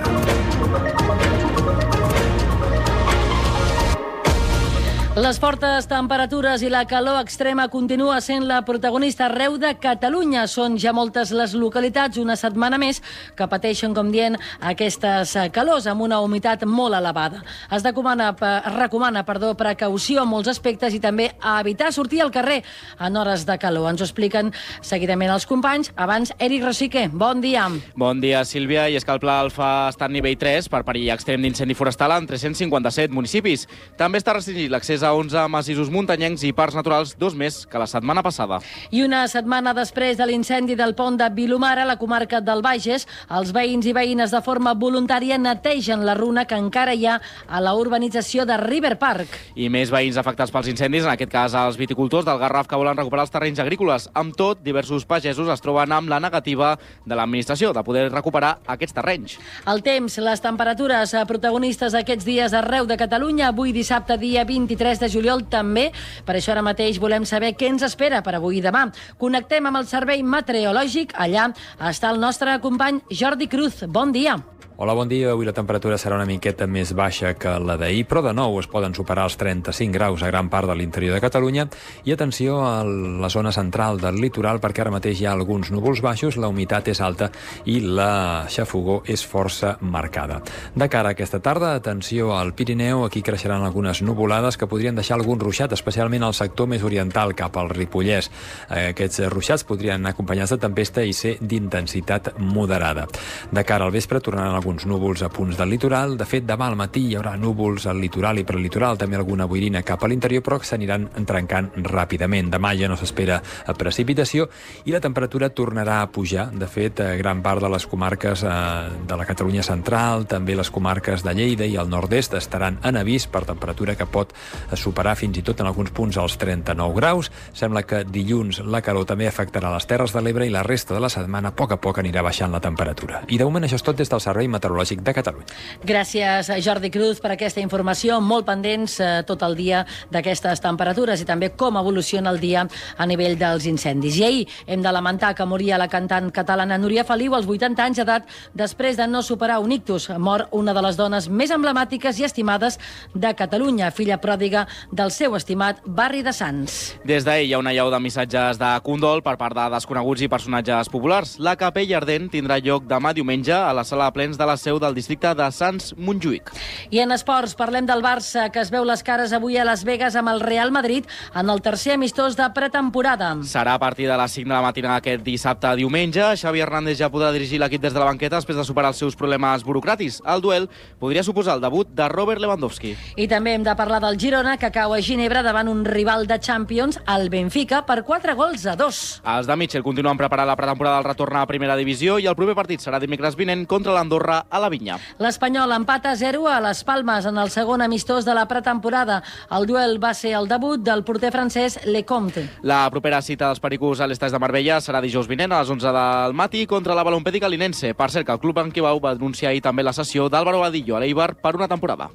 [SPEAKER 2] Les fortes temperatures i la calor extrema continua sent la protagonista arreu de Catalunya. Són ja moltes les localitats, una setmana més, que pateixen, com dient, aquestes calors amb una humitat molt elevada. Es recomana, es recomana perdó, precaució en molts aspectes i també a evitar sortir al carrer en hores de calor. Ens ho expliquen seguidament els companys. Abans, Eric Rosique, bon dia.
[SPEAKER 3] Bon dia, Sílvia. I és que el Pla Alfa està en nivell tres per perill extrem d'incendi forestal en tres-cents cinquanta-set municipis. També està restringit l'accés a onze massissos muntanyencs i parcs naturals, dos més que la setmana passada.
[SPEAKER 2] I una setmana després de l'incendi del pont de Vilomara, a la comarca del Bages, els veïns i veïnes de forma voluntària netegen la runa que encara hi ha a la urbanització de River Park.
[SPEAKER 3] I més veïns afectats pels incendis, en aquest cas els viticultors del Garraf, que volen recuperar els terrenys agrícoles. Amb tot, diversos pagesos es troben amb la negativa de l'administració de poder recuperar aquests terrenys.
[SPEAKER 2] El temps, les temperatures protagonistes aquests dies arreu de Catalunya, avui dissabte, dia vint-i-tres de juliol, també. Per això ara mateix volem saber què ens espera per avui i demà. Connectem amb el servei meteorològic. Allà està el nostre company Jordi Cruz. Bon dia.
[SPEAKER 9] Hola, bon dia. Avui la temperatura serà una miqueta més baixa que la d'ahir, però de nou es poden superar els trenta-cinc graus a gran part de l'interior de Catalunya. I atenció a la zona central del litoral, perquè ara mateix hi ha alguns núvols baixos, la humitat és alta i la xafogor és força marcada. De cara a aquesta tarda, atenció al Pirineu, aquí creixeran algunes nuvolades que podrien deixar algun ruixat, especialment al sector més oriental, cap al Ripollès. Aquests ruixats podrien anar acompanyats de tempesta i ser d'intensitat moderada. De cara al vespre tornaran alguns núvols a punts del litoral. De fet, demà al matí hi haurà núvols al litoral i prelitoral, també alguna boirina cap a l'interior, però que s'aniran trencant ràpidament. Demà ja no s'espera precipitació i la temperatura tornarà a pujar. De fet, gran part de les comarques de la Catalunya central, també les comarques de Lleida i el nord-est estaran en avís per temperatura que pot superar fins i tot en alguns punts els trenta-nou graus. Sembla que dilluns la calor també afectarà les Terres de l'Ebre i la resta de la setmana a poc a poc anirà baixant la temperatura. I de moment això és tot des del Servei Meteorològic de Catalunya.
[SPEAKER 2] Gràcies, Jordi Cruz, per aquesta informació. Molt pendents eh, tot el dia d'aquestes temperatures i també com evoluciona el dia a nivell dels incendis. I ahir hem de lamentar que moria la cantant catalana Núria Feliu als vuitanta anys d'edat després de no superar un ictus. Mor una de les dones més emblemàtiques i estimades de Catalunya, filla pròdiga del seu estimat barri de Sants.
[SPEAKER 3] Des d'ahir hi ha una llau de missatges de condol per part de desconeguts i personatges populars. La capella ardent tindrà lloc demà diumenge a la sala de plens de la seu del districte de Sants-Montjuïc.
[SPEAKER 2] I en esports parlem del Barça, que es veu les cares avui a Las Vegas amb el Real Madrid en el tercer amistós de pretemporada.
[SPEAKER 3] Serà a partir de les cinc de la matinada aquest dissabte a diumenge. Xavi Hernández ja podrà dirigir l'equip des de la banqueta després de superar els seus problemes burocràtics. El duel podria suposar el debut de Robert Lewandowski.
[SPEAKER 2] I també hem de parlar del Girona, que cau a Ginebra davant un rival de Champions, el Benfica, per quatre gols a dos.
[SPEAKER 3] Els de Mitchell continuen preparant la pretemporada del retorn a primera divisió i el proper partit serà dimecres vinent contra l'Andorra a la Vinya.
[SPEAKER 2] L'Espanyol empata a zero a les Palmes en el segon amistós de la pretemporada. El duel va ser el debut del porter francès Lecomte.
[SPEAKER 3] La propera cita dels pericos a l'Estàs de Marbella serà dijous vinent a les onze del matí contra la Balompèdica Linense. Per cert, que el club Anquibau va denunciar ahir també la cessió d'Álvaro Badillo a l'Eibar per una temporada.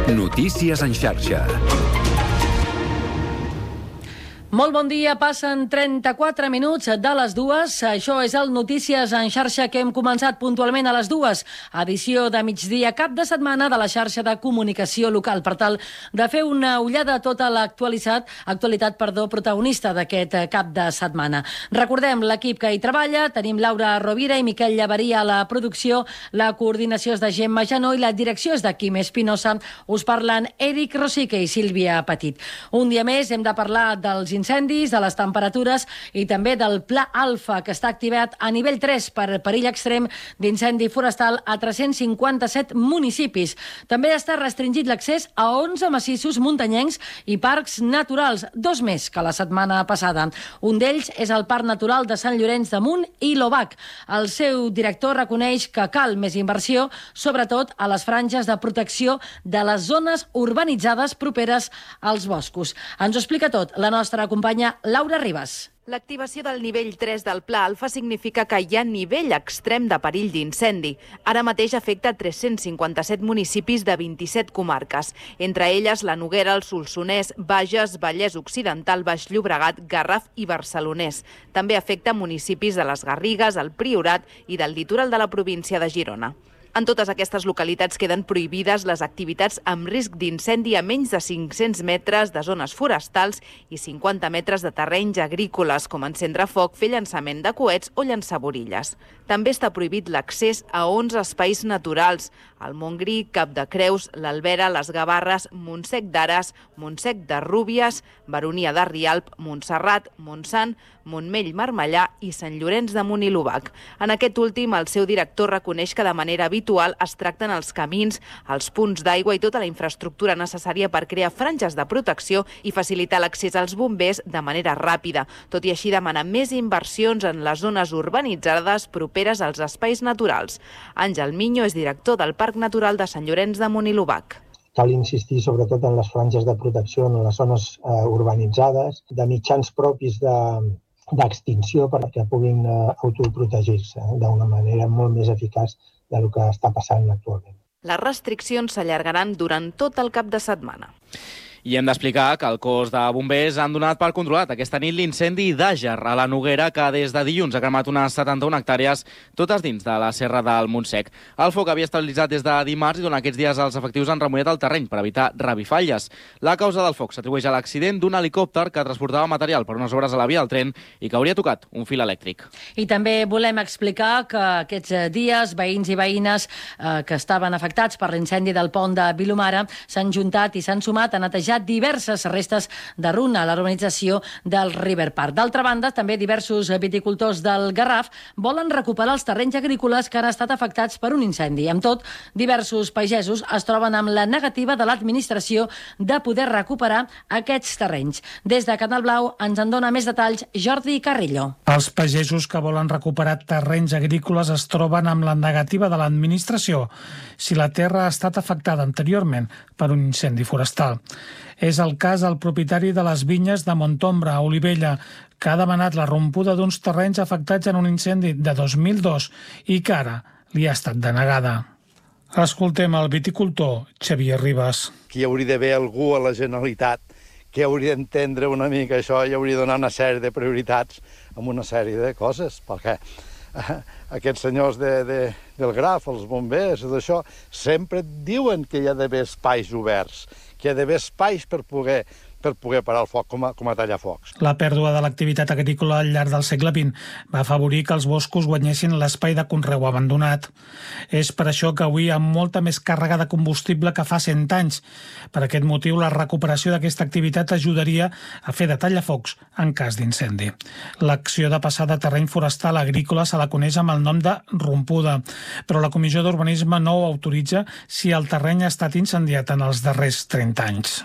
[SPEAKER 1] Notícies en xarxa.
[SPEAKER 2] Molt bon dia, passen trenta-quatre minuts de les dues. Això és el Notícies en xarxa que hem començat puntualment a les dues. Edició de migdia, cap de setmana de la xarxa de comunicació local, per tal de fer una ullada a tota l'actualitat actualitat, perdó, protagonista d'aquest cap de setmana. Recordem l'equip que hi treballa. Tenim Laura Rovira i Miquel Llaveria a la producció. La coordinació és de Gemma Janó i la direcció és de Quim Espinosa. Us parlen Eric Rosique i Sílvia Petit. Un dia més hem de parlar dels incendis, de les temperatures i també del Pla Alfa, que està activat a nivell tres per perill extrem d'incendi forestal a tres-cents cinquanta-set municipis. També està restringit l'accés a onze massissos muntanyencs i parcs naturals, dos més que la setmana passada. Un d'ells és el Parc Natural de Sant Llorenç de Munt i l'Obac. El seu director reconeix que cal més inversió, sobretot a les franges de protecció de les zones urbanitzades properes als boscos. Ens ho explica tot la nostra companya Laura Ribas.
[SPEAKER 5] L'activació del nivell tres del Pla Alfa significa que hi ha nivell extrem de perill d'incendi. Ara mateix afecta tres-cents cinquanta-set municipis de vint-i-set comarques, entre elles la Noguera, el Solsonès, Bages, Vallès Occidental, Baix Llobregat, Garraf i Barcelonès. També afecta municipis de les Garrigues, el Priorat i del litoral de la província de Girona. En totes aquestes localitats queden prohibides les activitats amb risc d'incendi a menys de cinc-cents metres de zones forestals i cinquanta metres de terrenys agrícoles, com encendre foc, fer llançament de coets o llançar borilles. També està prohibit l'accés a onze espais naturals: el Montgrí, Cap de Creus, l'Albera, les Gavarres, Montsec d'Ares, Montsec de Rúbies, Baronia de Rialp, Montserrat, Montsant, Montmell Marmellà i Sant Llorenç de Munt i l'Obac. En aquest últim, el seu director reconeix que de manera habitual es tracten els camins, els punts d'aigua i tota la infraestructura necessària per crear franges de protecció i facilitar l'accés als bombers de manera ràpida. Tot i així, demana més inversions en les zones urbanitzades properes als espais naturals. Àngel Miño és director del Parc Natural de Sant Llorenç de Munt i l'Obac.
[SPEAKER 10] Cal insistir sobretot en les franges de protecció en les zones eh, urbanitzades, de mitjans propis de d'extinció perquè puguin eh, autoprotegir-se eh, d'una manera molt més eficaç del que està passant actualment.
[SPEAKER 5] Les restriccions s'allargaran durant tot el cap de setmana.
[SPEAKER 3] I hem d'explicar que el cos de bombers han donat per controlat aquesta nit l'incendi d'Àger a la Noguera, que des de dilluns ha cremat unes setanta-una hectàrees, totes dins de la serra del Montsec. El foc havia estabilitzat des de dimarts i durant aquests dies els efectius han remullat el terreny per evitar revifalles. La causa del foc s'atribueix a l'accident d'un helicòpter que transportava material per unes obres a la via del tren i que hauria tocat un fil elèctric.
[SPEAKER 2] I també volem explicar que aquests dies veïns i veïnes eh, que estaven afectats per l'incendi del pont de Vilomara s'han juntat i s'han sumat a netejar diverses restes de runa a la urbanització del River Park. D'altra banda, també diversos viticultors del Garraf volen recuperar els terrenys agrícoles que han estat afectats per un incendi. Amb tot, diversos pagesos es troben amb la negativa de l'administració de poder recuperar aquests terrenys. Des de Canal Blau ens en dona més detalls Jordi Carrillo.
[SPEAKER 11] Els pagesos que volen recuperar terrenys agrícoles es troben amb la negativa de l'administració si la terra ha estat afectada anteriorment per un incendi forestal. És el cas del propietari de les vinyes de Montombra, a Olivella, que ha demanat la rompuda d'uns terrenys afectats en un incendi de dos mil dos i que ara li ha estat denegada. Escoltem el viticultor Xavier Ribas.
[SPEAKER 13] Que hi hauria d'haver algú a la Generalitat que hauria d'entendre una mica això i hauria de donar una sèrie de prioritats amb una sèrie de coses, perquè aquests senyors de, de, del Graf, els bombers, d'això, sempre diuen que hi ha d'haver espais oberts, que hi ha d'haver espais per poder, per poder parar el foc, com a, com a tallar focs.
[SPEAKER 11] La pèrdua de l'activitat agrícola al llarg del segle vint va afavorir que els boscos guanyessin l'espai de conreu abandonat. És per això que avui amb molta més càrrega de combustible que fa cent anys. Per aquest motiu, la recuperació d'aquesta activitat ajudaria a fer de tallafocs en cas d'incendi. L'acció de passar de terreny forestal a agrícola se la coneix amb el nom de rompuda, però la Comissió d'Urbanisme no ho autoritza si el terreny ha estat incendiat en els darrers trenta anys.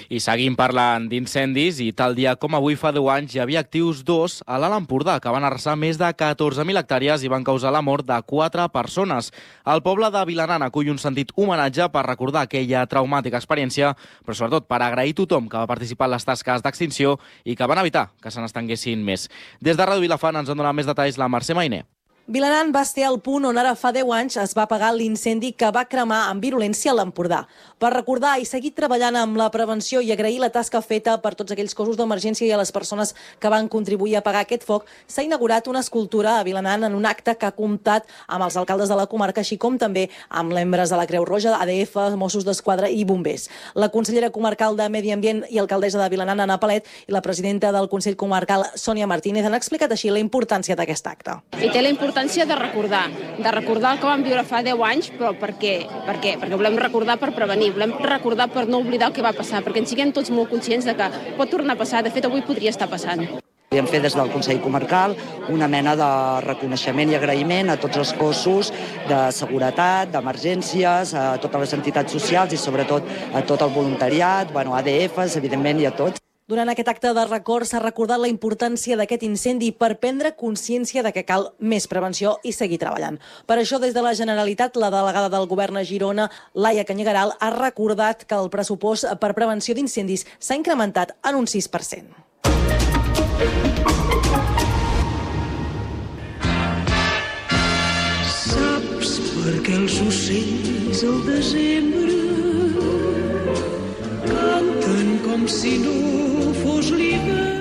[SPEAKER 3] I seguim per la parlant d'incendis, i tal dia com avui fa deu anys hi havia actius dos a l'Alt Empordà, que van arrasar més de catorze mil hectàrees i van causar la mort de quatre persones. El poble de Vilanant acull un sentit homenatge per recordar aquella traumàtica experiència, però sobretot per agrair tothom que va participar en les tasques d'extinció i que van evitar que se n'estenguessin més. Des de Ràdio Vilafant ens en dona més detalls la Mercè Mainer.
[SPEAKER 12] Vilanant va ser el punt on ara fa deu anys es va apagar l'incendi que va cremar amb virulència a l'Empordà. Per recordar i seguir treballant amb la prevenció i agrair la tasca feta per tots aquells cossos d'emergència i a les persones que van contribuir a apagar aquest foc, s'ha inaugurat una escultura a Vilanant en un acte que ha comptat amb els alcaldes de la comarca, així com també amb membres de la Creu Roja, A D F, Mossos d'Esquadra i bombers. La consellera comarcal de Medi Ambient i alcaldessa de Vilanant, Anna Palet, i la presidenta del Consell Comarcal, Sònia Martínez, han explicat així la importància d'aquest acte.
[SPEAKER 14] I té la importància de recordar, de recordar el que vam viure fa deu anys, però per què? Per què? Perquè volem recordar per prevenir, volem recordar per no oblidar el que va passar, perquè ens siguem tots molt conscients de que pot tornar a passar, de fet avui podria estar passant.
[SPEAKER 15] Hem fet des del Consell Comarcal una mena de reconeixement i agraïment a tots els cossos de seguretat, d'emergències, a totes les entitats socials i sobretot a tot el voluntariat, bueno, A D Fs, evidentment, i a tots.
[SPEAKER 12] Durant aquest acte de record s'ha recordat la importància d'aquest incendi per prendre consciència de que cal més prevenció i seguir treballant. Per això, des de la Generalitat, la delegada del Govern a Girona, Laia Canyegaral, ha recordat que el pressupost per prevenció d'incendis s'ha incrementat en un sis per cent.
[SPEAKER 16] Saps per què els ocells al desembre canten com si no fos l'hivern?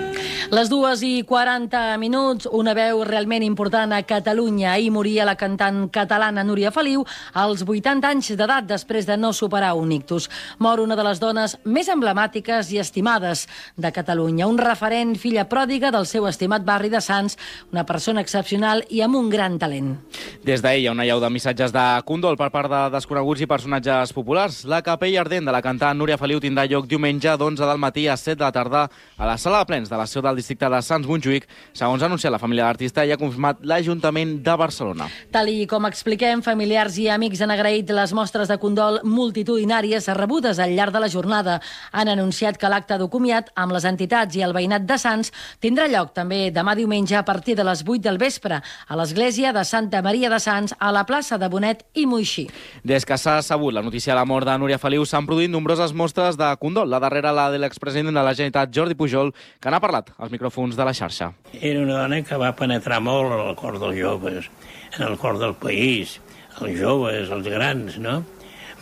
[SPEAKER 2] Les dues i quaranta minuts, una veu realment important a Catalunya. Ahir moria la cantant catalana Núria Feliu als vuitanta anys d'edat després de no superar un ictus. Mor una de les dones més emblemàtiques i estimades de Catalunya. Un referent, filla pròdiga del seu estimat barri de Sants, una persona excepcional i amb un gran talent.
[SPEAKER 3] Des d'ahir hi ha una llau de missatges de condol per part de desconeguts i personatges populars. La capella ardent de la cantant Núria Feliu tindrà lloc diumenge d'onze del matí a set de la tarda a la sala de plens de la seu del districte de Sants Montjuïc, segons ha anunciat la família de l'artista i ha confirmat l'Ajuntament de Barcelona.
[SPEAKER 2] Tal i com expliquem, familiars i amics han agraït les mostres de condol multitudinàries rebudes al llarg de la jornada. Han anunciat que l'acte de comiat amb les entitats i el veïnat de Sants tindrà lloc també demà diumenge a partir de les vuit del vespre a l'església de Santa Maria de Sants a la plaça de Bonet i Moixí.
[SPEAKER 3] Des que s'ha sabut la notícia de la mort de Núria Feliu s'han produït nombroses mostres de condol. La darrera, la de l'expresident de la Generalitat, Jordi Pujol, que n'ha parlat als micròfons de la xarxa.
[SPEAKER 24] Era una dona que va penetrar molt en el cor dels joves, en el cor del país, els joves, els grans, no?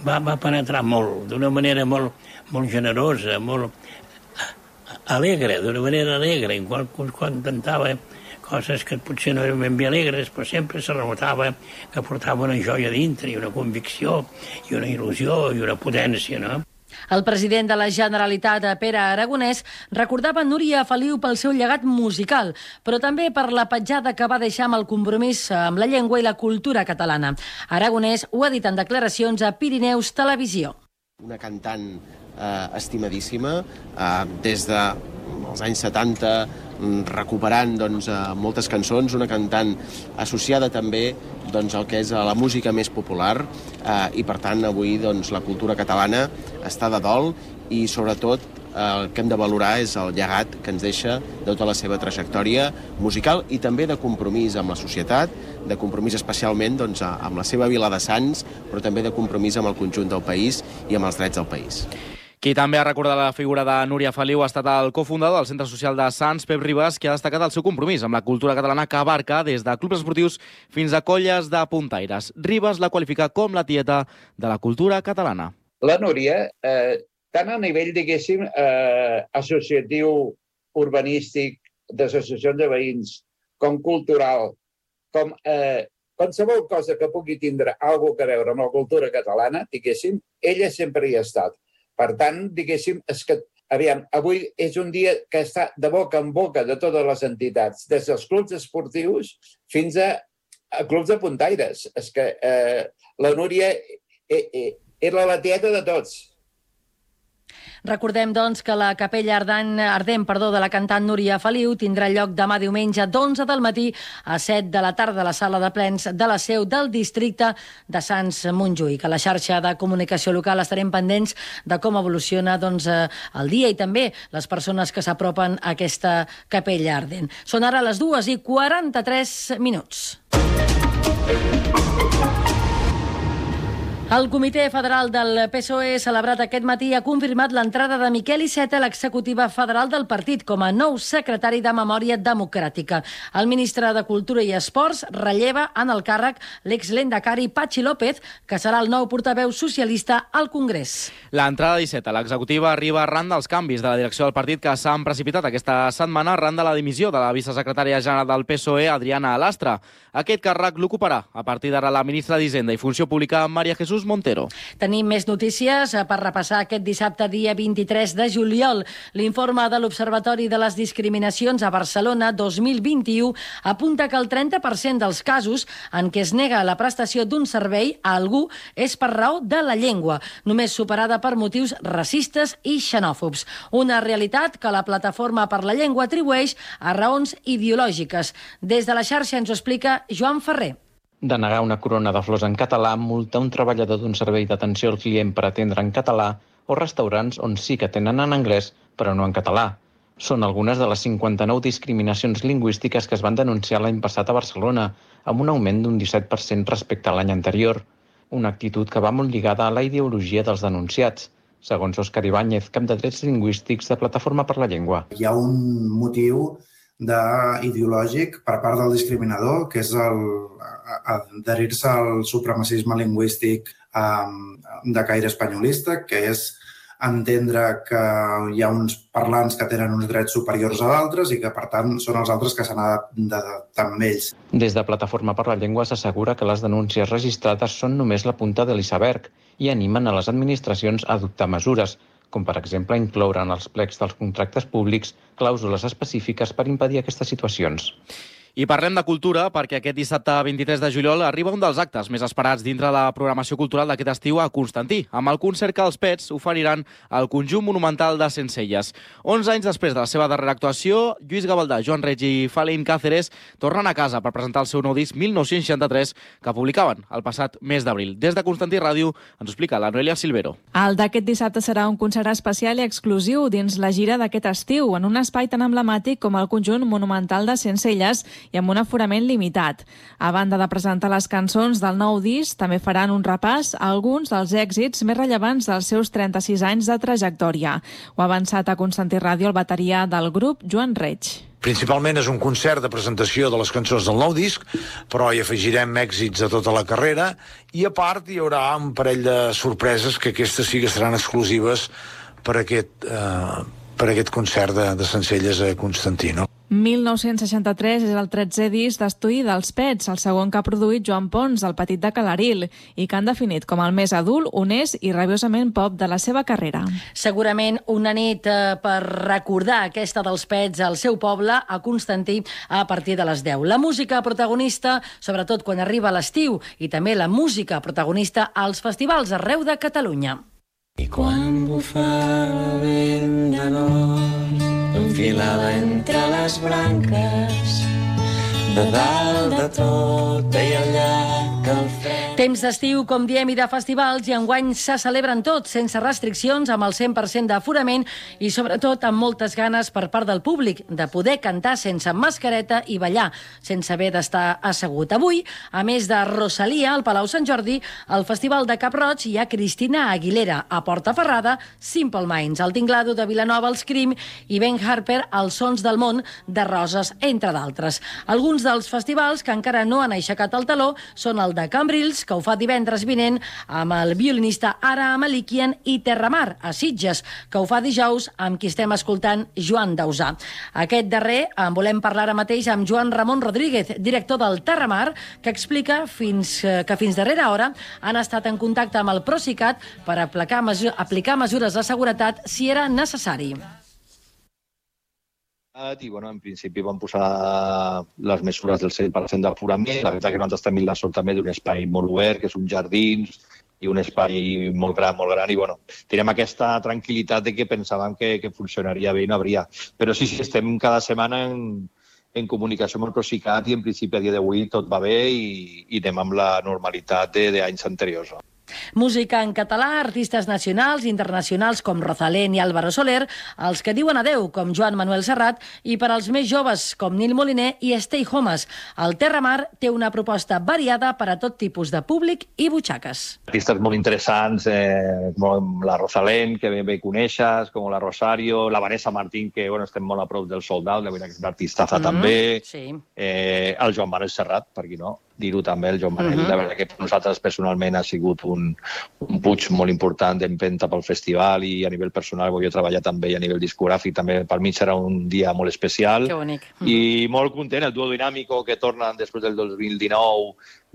[SPEAKER 24] Va, va penetrar molt, d'una manera molt, molt generosa, molt alegre, d'una manera alegre, quan, quan cantava coses que potser no eren ben bé alegres, però sempre se notava que portava una joia dintre i una convicció i una il·lusió i una potència, no?
[SPEAKER 2] El president de la Generalitat, Pere Aragonès, recordava Núria Feliu pel seu llegat musical, però també per la petjada que va deixar amb el compromís amb la llengua i la cultura catalana. Aragonès ho ha dit en declaracions a Pirineus Televisió.
[SPEAKER 26] Una cantant eh, estimadíssima, eh, des dels anys setanta, recuperant doncs, moltes cançons, una cantant associada també doncs, al que és la música més popular eh, i per tant avui doncs, la cultura catalana està de dol i sobretot el que hem de valorar és el llegat que ens deixa de tota la seva trajectòria musical i també de compromís amb la societat, de compromís especialment doncs, amb la seva vila de Sants, però també de compromís amb el conjunt del país i amb els drets del país.
[SPEAKER 3] Qui també ha recordat la figura de Núria Feliu ha estat el cofundador del Centre Social de Sants, Pep Ribas, que ha destacat el seu compromís amb la cultura catalana que abarca des de clubs esportius fins a colles de puntaires. Ribas la qualifica com la tieta de la cultura catalana.
[SPEAKER 27] La Núria, eh, tant a nivell, diguéssim, eh, associatiu, urbanístic, d'associacions de veïns, com cultural, com eh, qualsevol cosa que pugui tindre alguna cosa a veure amb la cultura catalana, diguéssim, ella sempre hi ha estat. Per tant, diguéssim, és que, aviam, avui és un dia que està de boca en boca de totes les entitats, des dels clubs esportius fins a, a clubs de puntaires. És que eh, la Núria eh, eh, era la tieta de tots.
[SPEAKER 2] Recordem, doncs, que la capella ardent, ardent perdó, de la cantant Núria Feliu tindrà lloc demà diumenge d'onze del matí a set de la tarda a la sala de plens de la seu del districte de Sants Montjuïc. A la xarxa de comunicació local estarem pendents de com evoluciona doncs, el dia i també les persones que s'apropen a aquesta capella ardent. Són ara les dues i quaranta-tres minuts. El Comitè Federal del P S O E, celebrat aquest matí, ha confirmat l'entrada de Miquel Iceta a l'executiva federal del partit com a nou secretari de Memòria Democràtica. El ministre de Cultura i Esports relleva en el càrrec l'exlendacari Patxi López, que serà el nou portaveu socialista al Congrés.
[SPEAKER 3] L'entrada d'Iceta a l'executiva arriba arran dels canvis de la direcció del partit que s'han precipitat aquesta setmana arran de la dimissió de la vicesecretària general del P S O E, Adriana Alastra. Aquest càrrec l'ocuparà a partir d'ara la ministra d'Hisenda i Funció Pública, María Jesús Montero.
[SPEAKER 2] Tenim més notícies per repassar aquest dissabte, dia vint-i-tres de juliol. L'informe de l'Observatori de les Discriminacions a Barcelona dos mil vint-i-u apunta que el trenta per cent dels casos en què es nega la prestació d'un servei a algú és per raó de la llengua, només superada per motius racistes i xenòfobs. Una realitat que la Plataforma per la Llengua atribueix a raons ideològiques. Des de la xarxa ens ho explica Joan Ferrer.
[SPEAKER 4] Denegar una corona de flors en català, multar un treballador d'un servei d'atenció al client per atendre en català o restaurants on sí que tenen en anglès, però no en català. Són algunes de les cinquanta-nou discriminacions lingüístiques que es van denunciar l'any passat a Barcelona, amb un augment d'un disset per cent respecte a l'any anterior. Una actitud que va molt lligada a la ideologia dels denunciats, segons Òscar Ibáñez, cap de drets lingüístics de Plataforma per la Llengua.
[SPEAKER 17] Hi ha un motiu ideològic per part del discriminador, que és adherir-se al supremacisme lingüístic de caire espanyolista, que és entendre que hi ha uns parlants que tenen uns drets superiors a d'altres i que, per tant, són els altres que s'han d'adaptar amb ells.
[SPEAKER 4] Des de Plataforma per la Llengua s'assegura que les denúncies registrades són només la punta de l'iceberg i animen a les administracions a adoptar mesures, com per exemple incloure en els plecs dels contractes públics clàusules específiques per impedir aquestes situacions.
[SPEAKER 3] I parlem de cultura perquè aquest dissabte vint-i-tres de juliol arriba un dels actes més esperats dintre la programació cultural d'aquest estiu a Constantí, amb el concert que els Pets oferiran al Conjunt Monumental de Sencelles. onze anys després de la seva darrera actuació, Lluís Gavaldà, Joan Reig i Falain Cáceres tornen a casa per presentar el seu nou disc mil nou-cents seixanta-tres que publicaven el passat mes d'abril. Des de Constantí Ràdio ens ho explica la Noelia Silvero.
[SPEAKER 18] El d'aquest dissabte serà un concert especial i exclusiu dins la gira d'aquest estiu, en un espai tan emblemàtic com el Conjunt Monumental de Sencelles i amb un aforament limitat. A banda de presentar les cançons del nou disc, també faran un repàs a alguns dels èxits més rellevants dels seus trenta-sis anys de trajectòria. Ho ha avançat a Constantí Ràdio el bateria del grup, Joan Reig.
[SPEAKER 19] Principalment és un concert de presentació de les cançons del nou disc, però hi afegirem èxits de tota la carrera i a part hi haurà un parell de sorpreses que aquestes sí que seran exclusives per aquest, eh, per aquest concert de, de Sencelles a Constantí, no?
[SPEAKER 18] mil nou-cents seixanta-tres és el tretzè disc d'estudi dels Pets, el segon que ha produït Joan Pons, el petit de Calaril, i que han definit com el més adult, honest i rabiosament pop de la seva carrera.
[SPEAKER 2] Segurament una nit eh, per recordar aquesta dels Pets al seu poble, a Constantí, a partir de les deu. La música protagonista, sobretot quan arriba l'estiu, i també la música protagonista als festivals arreu de Catalunya.
[SPEAKER 8] I quan bufava vent de nord, enfilada entre les branques, de dalt de tot veia el llac al fred.
[SPEAKER 2] Temps d'estiu, com diem, i de festivals, i enguany se celebren tots, sense restriccions, amb el cent per cent d'aforament i sobretot amb moltes ganes per part del públic de poder cantar sense mascareta i ballar, sense haver d'estar assegut. Avui, a més de Rosalia, al Palau Sant Jordi, al Festival de Cap-roig hi ha Cristina Aguilera, a Portaferrada, Simple Minds, el Tinglado de Vilanova, els Crim, i Ben Harper, els Sons del Món, de Roses, entre d'altres. Alguns dels festivals que encara no han aixecat el taló són el de Cambrils, que ho fa divendres vinent amb el violinista Ara Malikian, i Terramar, a Sitges, que ho fa dijous amb qui estem escoltant, Joan Dausà. Aquest darrer en volem parlar ara mateix amb Joan Ramon Rodríguez, director del Terramar, que explica fins, que fins darrera hora han estat en contacte amb el Procicat per aplicar, mesures, aplicar mesures de seguretat si era necessari.
[SPEAKER 20] I, bueno, en principi vam posar les mesures del cent per cent d'aforament. La veritat que nosaltres tenim la sort també d'un espai molt obert, que és un jardins, i un espai molt gran, molt gran, i bueno, tenim aquesta tranquil·litat de que pensàvem que, que funcionaria bé i no hauria. Però sí, sí, estem cada setmana en, en comunicació amb el Procicat i en principi a dia d'avui tot va bé i, i anem amb la normalitat d'anys anteriors.
[SPEAKER 2] Música en català, artistes nacionals i internacionals com Rosalén i Álvaro Soler, els que diuen adeu com Joan Manuel Serrat i per als més joves com Nil Moliner i Stay Homes. El Terramar té una proposta variada per a tot tipus de públic i butxaques.
[SPEAKER 20] Artistes molt interessants, eh, com la Rosalén, que bé, bé coneixes, com la Rosario, la Vanessa Martín, que bueno, estem molt a prop del sold out, la veritat que és una artistaza mm-hmm. també,
[SPEAKER 2] sí.
[SPEAKER 20] eh, el Joan Manuel Serrat, per qui no, dir-ho també, el Joan Manel. Uh-huh. La veritat que per nosaltres personalment ha sigut un, un puig molt important d'empenta pel festival i a nivell personal, jo he treballat també a nivell discogràfic, també per mi serà un dia molt especial.
[SPEAKER 2] Que bonic. Uh-huh.
[SPEAKER 20] I molt content, el duo dinàmico que tornen després del dos mil dinou.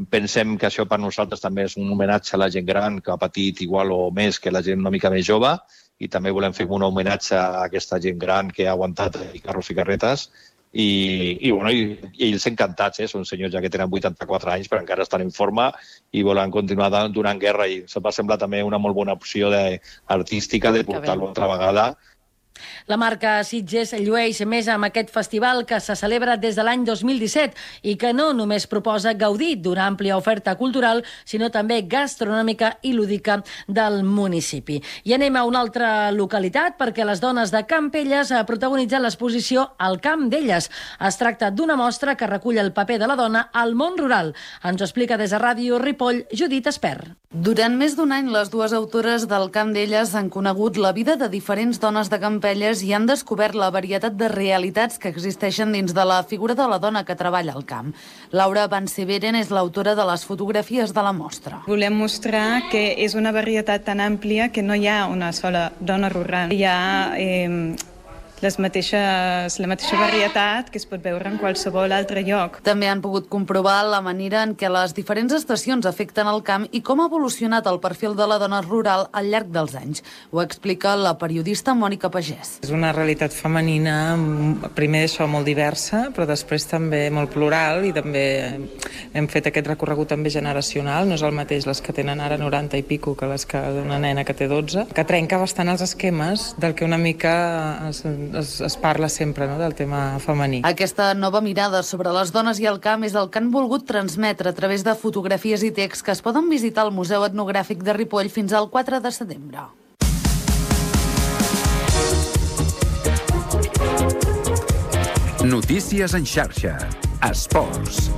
[SPEAKER 20] Pensem que això per nosaltres també és un homenatge a la gent gran que ha patit igual o més que la gent una mica més jove i també volem fer un homenatge a aquesta gent gran que ha aguantat i carros i carretes. I, i, bueno, i, i ells encantats, eh? Són senyors ja que tenen vuitanta-quatre anys però encara estan en forma i volen continuar donant guerra i se'm va semblar també una molt bona opció de, artística de portar-lo altra vegada.
[SPEAKER 2] La marca Sitges llueix més amb aquest festival que se celebra des de l'any dos mil disset i que no només proposa gaudir d'una àmplia oferta cultural, sinó també gastronòmica i lúdica del municipi. I anem a una altra localitat perquè les dones de Campelles protagonitzen l'exposició Al camp d'elles. Es tracta d'una mostra que recull el paper de la dona al món rural. Ens ho explica des de Ràdio Ripoll, Judit Espert.
[SPEAKER 6] Durant més d'un any, les dues autores del Camp d'elles han conegut la vida de diferents dones de Campelles i han descobert la varietat de realitats que existeixen dins de la figura de la dona que treballa al camp. Laura Banseveren és l'autora de les fotografies de la mostra.
[SPEAKER 7] Volem mostrar que és una varietat tan àmplia que no hi ha una sola dona rural. Hi ha eh, les mateixes, la mateixa varietat que es pot veure en qualsevol altre lloc.
[SPEAKER 6] També han pogut comprovar la manera en què les diferents estacions afecten el camp i com ha evolucionat el perfil de la dona rural al llarg dels anys. Ho explica la periodista Mònica Pagès.
[SPEAKER 9] És una realitat femenina, primer d'això molt diversa, però després també molt plural i també hem fet aquest recorregut també generacional. No és el mateix les que tenen ara noranta i pico que les que d'una nena que té dotze, que trenca bastant els esquemes del que una mica es, Es, es parla sempre, no?, del tema femení.
[SPEAKER 6] Aquesta nova mirada sobre les dones i el camp és el que han volgut transmetre a través de fotografies i texts que es poden visitar al Museu Etnogràfic de Ripoll fins al quatre de setembre.
[SPEAKER 1] Notícies en xarxa. Esports.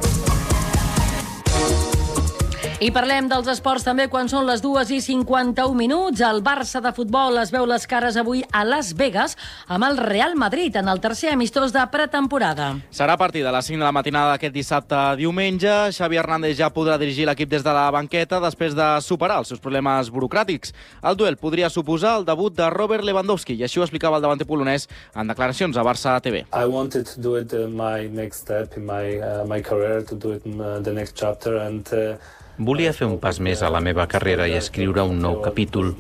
[SPEAKER 2] I parlem dels esports també quan són les dues i cinquanta-un minuts. El Barça de futbol es veu les cares avui a Las Vegas amb el Real Madrid en el tercer amistós de pretemporada.
[SPEAKER 3] Serà a partir de les cinc de la matinada d'aquest dissabte diumenge. Xavi Hernández ja podrà dirigir l'equip des de la banqueta després de superar els seus problemes burocràtics. El duel podria suposar el debut de Robert Lewandowski i així ho explicava el davanter polonès en declaracions a Barça T V.
[SPEAKER 21] I wanted to do it uh, my next step in my uh, my career, to do it in uh, the next chapter and uh,
[SPEAKER 22] Volia fer un pas més a la meva carrera i escriure un nou capítol.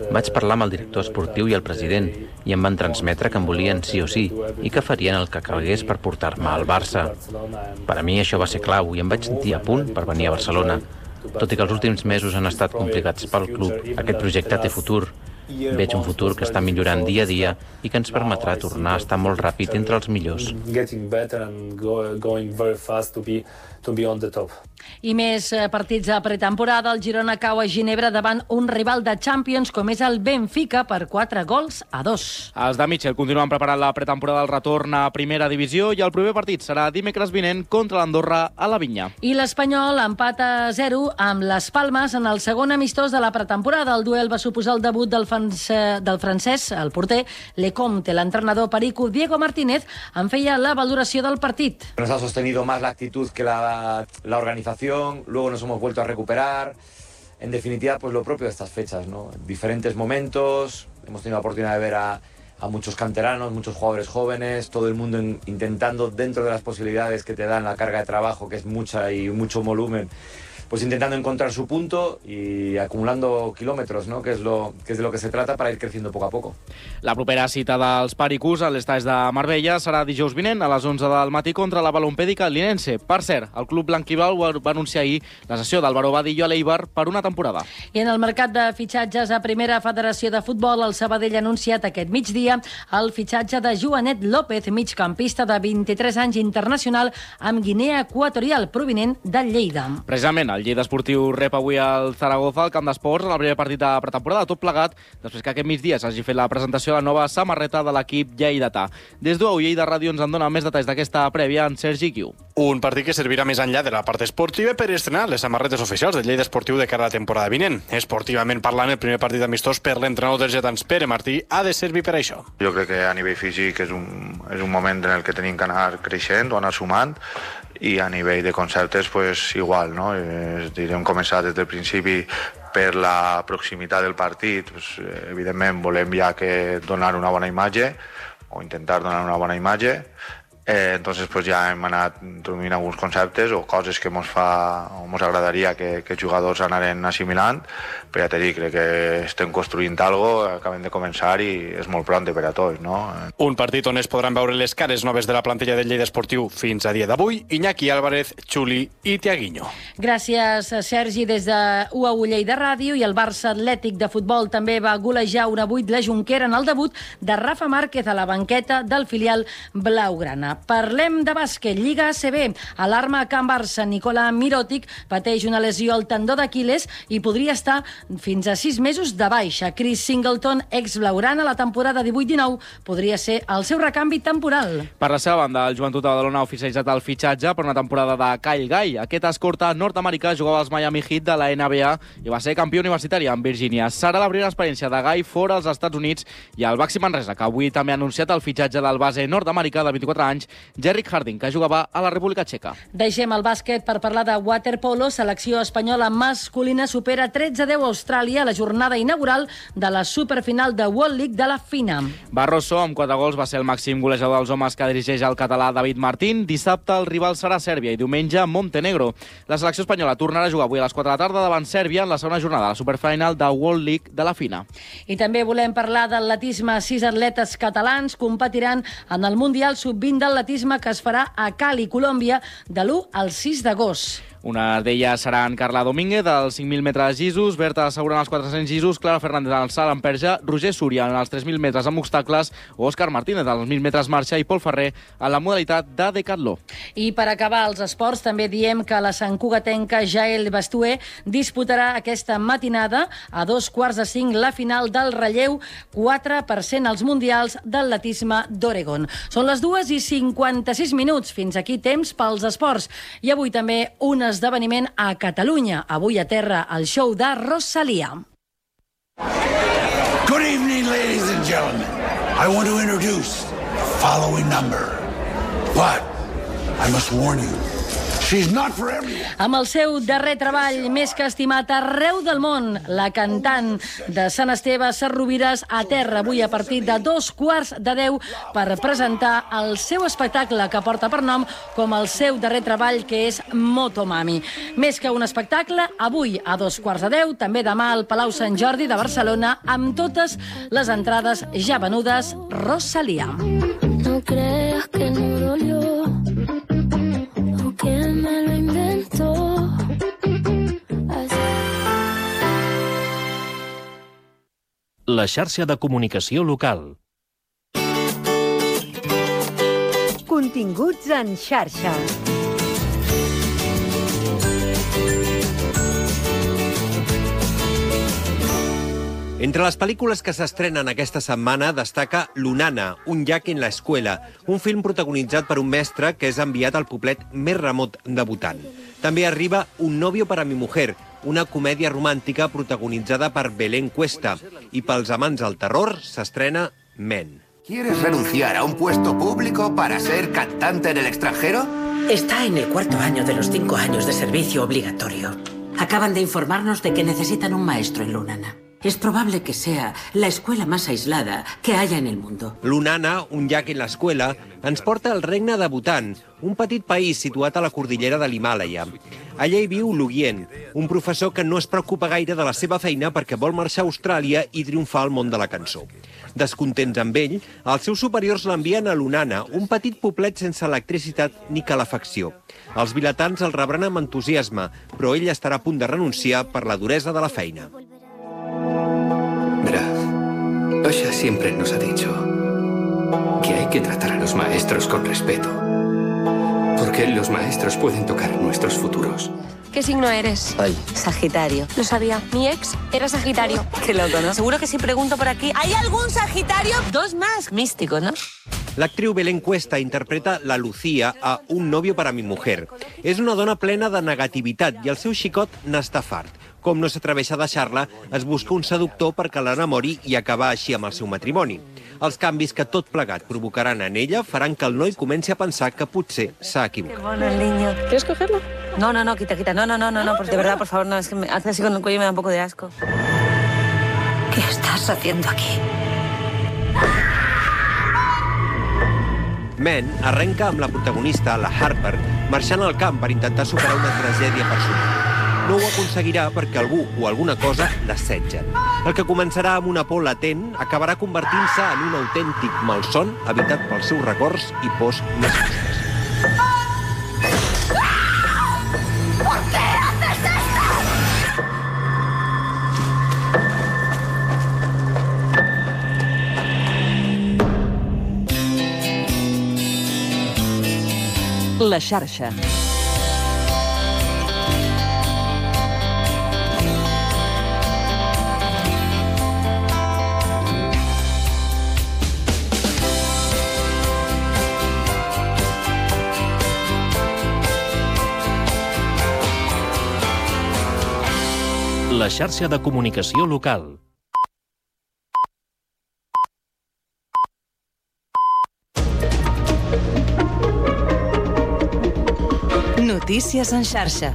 [SPEAKER 22] Vaig parlar amb el director esportiu i el president i em van transmetre que em volien sí o sí i que farien el que calgués per portar-me al Barça. Per a mi això va ser clau i em vaig sentir a punt per venir a Barcelona. Tot i que els últims mesos han estat complicats pel club, aquest projecte té futur. Veig un futur que està millorant dia a dia i que ens permetrà tornar a estar molt ràpid entre els millors.
[SPEAKER 2] I més partits de pretemporada. El Girona cau a Ginebra davant un rival de Champions com és el Benfica per quatre gols a dos.
[SPEAKER 3] Els de Mitchell continuen preparant la pretemporada del retorn a primera divisió i el proper partit serà dimecres vinent contra l'Andorra a la Vinya.
[SPEAKER 2] I l'Espanyol empata a zero amb les Palmes en el segon amistós de la pretemporada. El duel va suposar el debut del, del francès, el porter Lecomte. L'entrenador perico Diego Martínez en feia la valoració del partit.
[SPEAKER 23] Nos ha sostenido más la actitud que la, la organización. Luego nos hemos vuelto a recuperar. En definitiva, pues lo propio de estas fechas, ¿no? Diferentes momentos, hemos tenido la oportunidad de ver a, a muchos canteranos, muchos jugadores jóvenes, todo el mundo in, intentando, dentro de las posibilidades que te dan la carga de trabajo, que es mucha y mucho volumen, pues intentando encontrar su punto y acumulando kilómetros, ¿no? Que es, lo, que es de lo que se trata para ir creciendo poco a poco.
[SPEAKER 3] La propera cita dels Pericos a l'estadi de Marbella serà dijous vinent a les onze del matí contra la Balompèdica Linense. Per cert, el club blanquiblau va anunciar ahir la cessió d'Álvaro Vadillo a l'Eibar per una temporada.
[SPEAKER 2] I en el mercat de fitxatges a Primera Federació de Futbol, el Sabadell ha anunciat aquest migdia el fitxatge de Joanet López, migcampista de vint-i-tres anys, internacional amb Guinea Equatorial, provinent del Lleida.
[SPEAKER 3] Precisament, el Lleida Esportiu rep avui el Zaragoza al Camp d'Esports en el primer partit de pretemporada, tot plegat després que aquest migdia s'hagi fet la presentació de la nova samarreta de l'equip lleidatà. Des d'U A U Lleida Ràdio ens en dona més detalls d'aquesta prèvia en Sergi Guiu.
[SPEAKER 5] Un partit que servirà més enllà de la part esportiva per estrenar les samarretes oficials del Lleida Esportiu de cara a la temporada vinent. Esportivament parlant, el primer partit amistós per l'entrenador dels lletans, Pere Martí, ha de servir per això.
[SPEAKER 10] Jo crec que a nivell físic és un, és un moment en el que tenim que anar creixent o anar sumant, i a nivell de conceptes pues, igual, no? És dir, hem començat des del principi per la proximitat del partit, pues, evidentment volem ja que donar una bona imatge o intentar donar una bona imatge. Eh, entonces pues ja hem anat introduint alguns conceptes o coses que ens fa o ens agradaria que, que els jugadors anaren assimilant, però ja t'he dit, crec que estem construint algo, acabem de començar i és molt pront per a tots, no?
[SPEAKER 5] Un partit on es podran veure les cares noves de la plantilla del Lleida Esportiu fins a dia d'avui, Iñaki Álvarez, Xuli i Tiaguinho.
[SPEAKER 2] Gràcies, Sergi, des de U A U Lleida Ràdio. I el Barça Atlètic de futbol també va golejar un a vuit la Jonquera en el debut de Rafa Márquez a la banqueta del filial blaugrana. Parlem de bàsquet, Lliga A C B. Alarma a Can Barça. Nicola Mirotic pateix una lesió al tendó d'Aquiles i podria estar fins a sis mesos de baixa. Chris Singleton, ex-blaugrana, la temporada divuit dinou podria ser el seu recanvi temporal.
[SPEAKER 3] Per la seva banda, el Joventut de Badalona ha oficialitzat el fitxatge per una temporada de Kyle Guy. Aquest escorta nord-americà jugava als Miami Heat de la N B A i va ser campió universitari amb Virgínia. Serà la primera experiència de Guy fora als Estats Units, i el Baxi Manresa, que avui també ha anunciat el fitxatge del base nord-americà de vint-i-quatre anys, Jerrick Harding, que jugava a la República Txeca.
[SPEAKER 2] Deixem el bàsquet per parlar de waterpolo. Selecció espanyola masculina supera tretze a deu a Austràlia a la jornada inaugural de la superfinal de World League de la FINA.
[SPEAKER 3] Barroso, amb quatre gols, va ser el màxim golejador dels homes que dirigeix el català David Martín. Dissabte el rival serà Sèrbia i diumenge Montenegro. La selecció espanyola tornarà a jugar avui a les quatre de la tarda davant Sèrbia en la segona jornada de la superfinal de World League de la FINA.
[SPEAKER 2] I també volem parlar d'atletisme. Sis atletes catalans competiran en el Mundial sub vint d'atletisme que es farà a Cali, Colòmbia, de l'u al sis d'agost.
[SPEAKER 3] Una d'elles seran Carla Domínguez, dels cinc mil metres llisos, Berta Segura en els quatre-cents llisos, Clara Fernández en el salt en perxa, Roger Súria en els tres mil metres amb obstacles, o Òscar Martínez en els mil metres marxa i Pol Ferrer en la modalitat de decatló.
[SPEAKER 2] I per acabar els esports, també diem que la santcugatenca Jael Bastué disputarà aquesta matinada a dos quarts de cinc la final del relleu quatre per cent als mundials d'atletisme d'Oregon. Són les dues i cinquanta-sis minuts. Fins aquí temps pels esports. I avui també un esdeveniment a Catalunya. Avui a terra el show de Rosalia.
[SPEAKER 11] Good evening, ladies and gentlemen. I want to introduce the following number. But I must warn you, she's not for everyone.
[SPEAKER 2] Amb el seu darrer treball més que estimat arreu del món, la cantant de Sant Esteve, Sarrovires, a terra avui a partir de dos quarts de deu per presentar el seu espectacle que porta per nom com el seu darrer treball, que és Motomami. Més que un espectacle, avui a dos quarts de deu, també demà al Palau Sant Jordi de Barcelona, amb totes les entrades ja venudes, Rosalia.
[SPEAKER 13] No creas que no dolió, o que me lo inventó.
[SPEAKER 14] La xarxa de comunicació local.
[SPEAKER 15] Continguts en xarxa.
[SPEAKER 25] Entre les pel·lícules que s'estrenen aquesta setmana destaca Lunana, un llac en la escuela, un film protagonitzat per un mestre que és enviat al poblet més remot de Bhutan. També arriba Un novio para mi mujer, una comèdia romàntica protagonitzada per Belén Cuesta. I pels amants del terror s'estrena Men.
[SPEAKER 28] ¿Quieres renunciar a un puesto público para ser cantante en el extranjero?
[SPEAKER 29] Está en el cuarto año de los cinco años de servicio obligatorio. Acaban de informarnos de que necesitan un maestro en Lunana. Es probable que sea la escuela más aislada que haya en el mundo.
[SPEAKER 25] Lunana, un llac en l'escuela, ens porta al regne de Bhutan, un petit país situat a la cordillera de l'Himàlaia. Allà hi viu Lugien, un professor que no es preocupa gaire de la seva feina perquè vol marxar a Austràlia i triomfar al món de la cançó. Descontents amb ell, els seus superiors l'envien a Lunana, un petit poblet sense electricitat ni calefacció. Els vilatans el rebran amb entusiasme, però ell estarà a punt de renunciar per la duresa de la feina.
[SPEAKER 4] Verá, Osha siempre nos ha dicho que hay que tratar a los maestros con respeto, porque los maestros pueden tocar nuestros futuros.
[SPEAKER 12] ¿Qué signo eres?
[SPEAKER 4] Ay.
[SPEAKER 12] Sagitario. Lo sabía. Mi ex era Sagitario. Qué loco, ¿no? Seguro que si pregunto por aquí, ¿hay algún Sagitario? Dos más. Místico, ¿no?
[SPEAKER 25] L'actriu Belén Cuesta interpreta la Lucía a Un novio para mi mujer. És una dona plena de negativitat i el seu xicot n'està fart. Com no s'atreveix a deixar-la, es busca un seductor perquè l'enamori i acabar així amb el seu matrimoni. Els canvis que tot plegat provocaran en ella faran que el noi comenci a pensar que potser s'ha equivocat.
[SPEAKER 12] Qué bueno el niño. ¿Quieres cogerlo? No, no, no, quita, quita. No, no, no, no, no, pues de verdad, por favor, no, es que me hace así con el cuello y me da un poco de asco.
[SPEAKER 29] ¿Qué estás haciendo aquí?
[SPEAKER 25] Men arrenca amb la protagonista, la Harper, marxant al camp per intentar superar una tragèdia personal. No ho aconseguirà perquè algú o alguna cosa l'assetgen. El que començarà amb una por latent acabarà convertint-se en un autèntic malson habitat pels seus records i pors més fosques.
[SPEAKER 13] ¿Por qué haces
[SPEAKER 15] esto? La xarxa.
[SPEAKER 14] La xarxa de comunicació local.
[SPEAKER 15] Notícies en xarxa.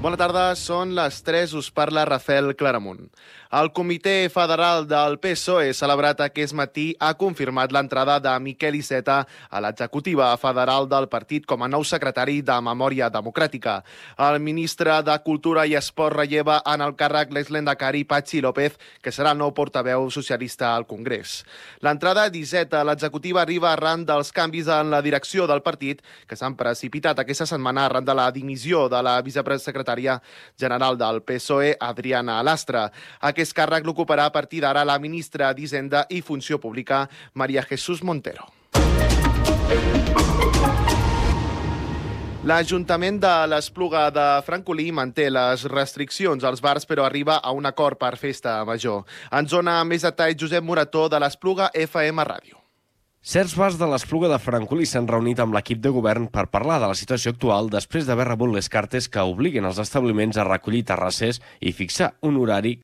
[SPEAKER 16] Bona tarda, són les tres, us parla Rafael Claramunt. El Comitè Federal del P S O E, celebrat aquest matí, ha confirmat l'entrada de Miquel Iceta a l'executiva federal del partit com a nou secretari de Memòria Democràtica. El ministre de Cultura i Esport relleva en el càrrec l'exlendacari Patxi López, que serà el nou portaveu socialista al Congrés. L'entrada d'Iceta a l'executiva arriba arran dels canvis en la direcció del partit que s'han precipitat aquesta setmana arran de la dimissió de la vicepresecretària general del P S O E, Adriana Lastra. Aquest càrrec l'ocuparà a partir d'ara la ministra d'Hisenda i Funció Pública, María Jesús Montero. L'Ajuntament de l'Espluga de Francolí manté les restriccions als bars, però arriba a un acord per festa major. En zona més detall, Josep Morató, de l'Espluga F M Ràdio.
[SPEAKER 17] Certs bars de l'Espluga de Francolí s'han reunit amb l'equip de govern per parlar de la situació actual després d'haver rebut les cartes que obliguen els establiments a recollir terrasses i fixar un horari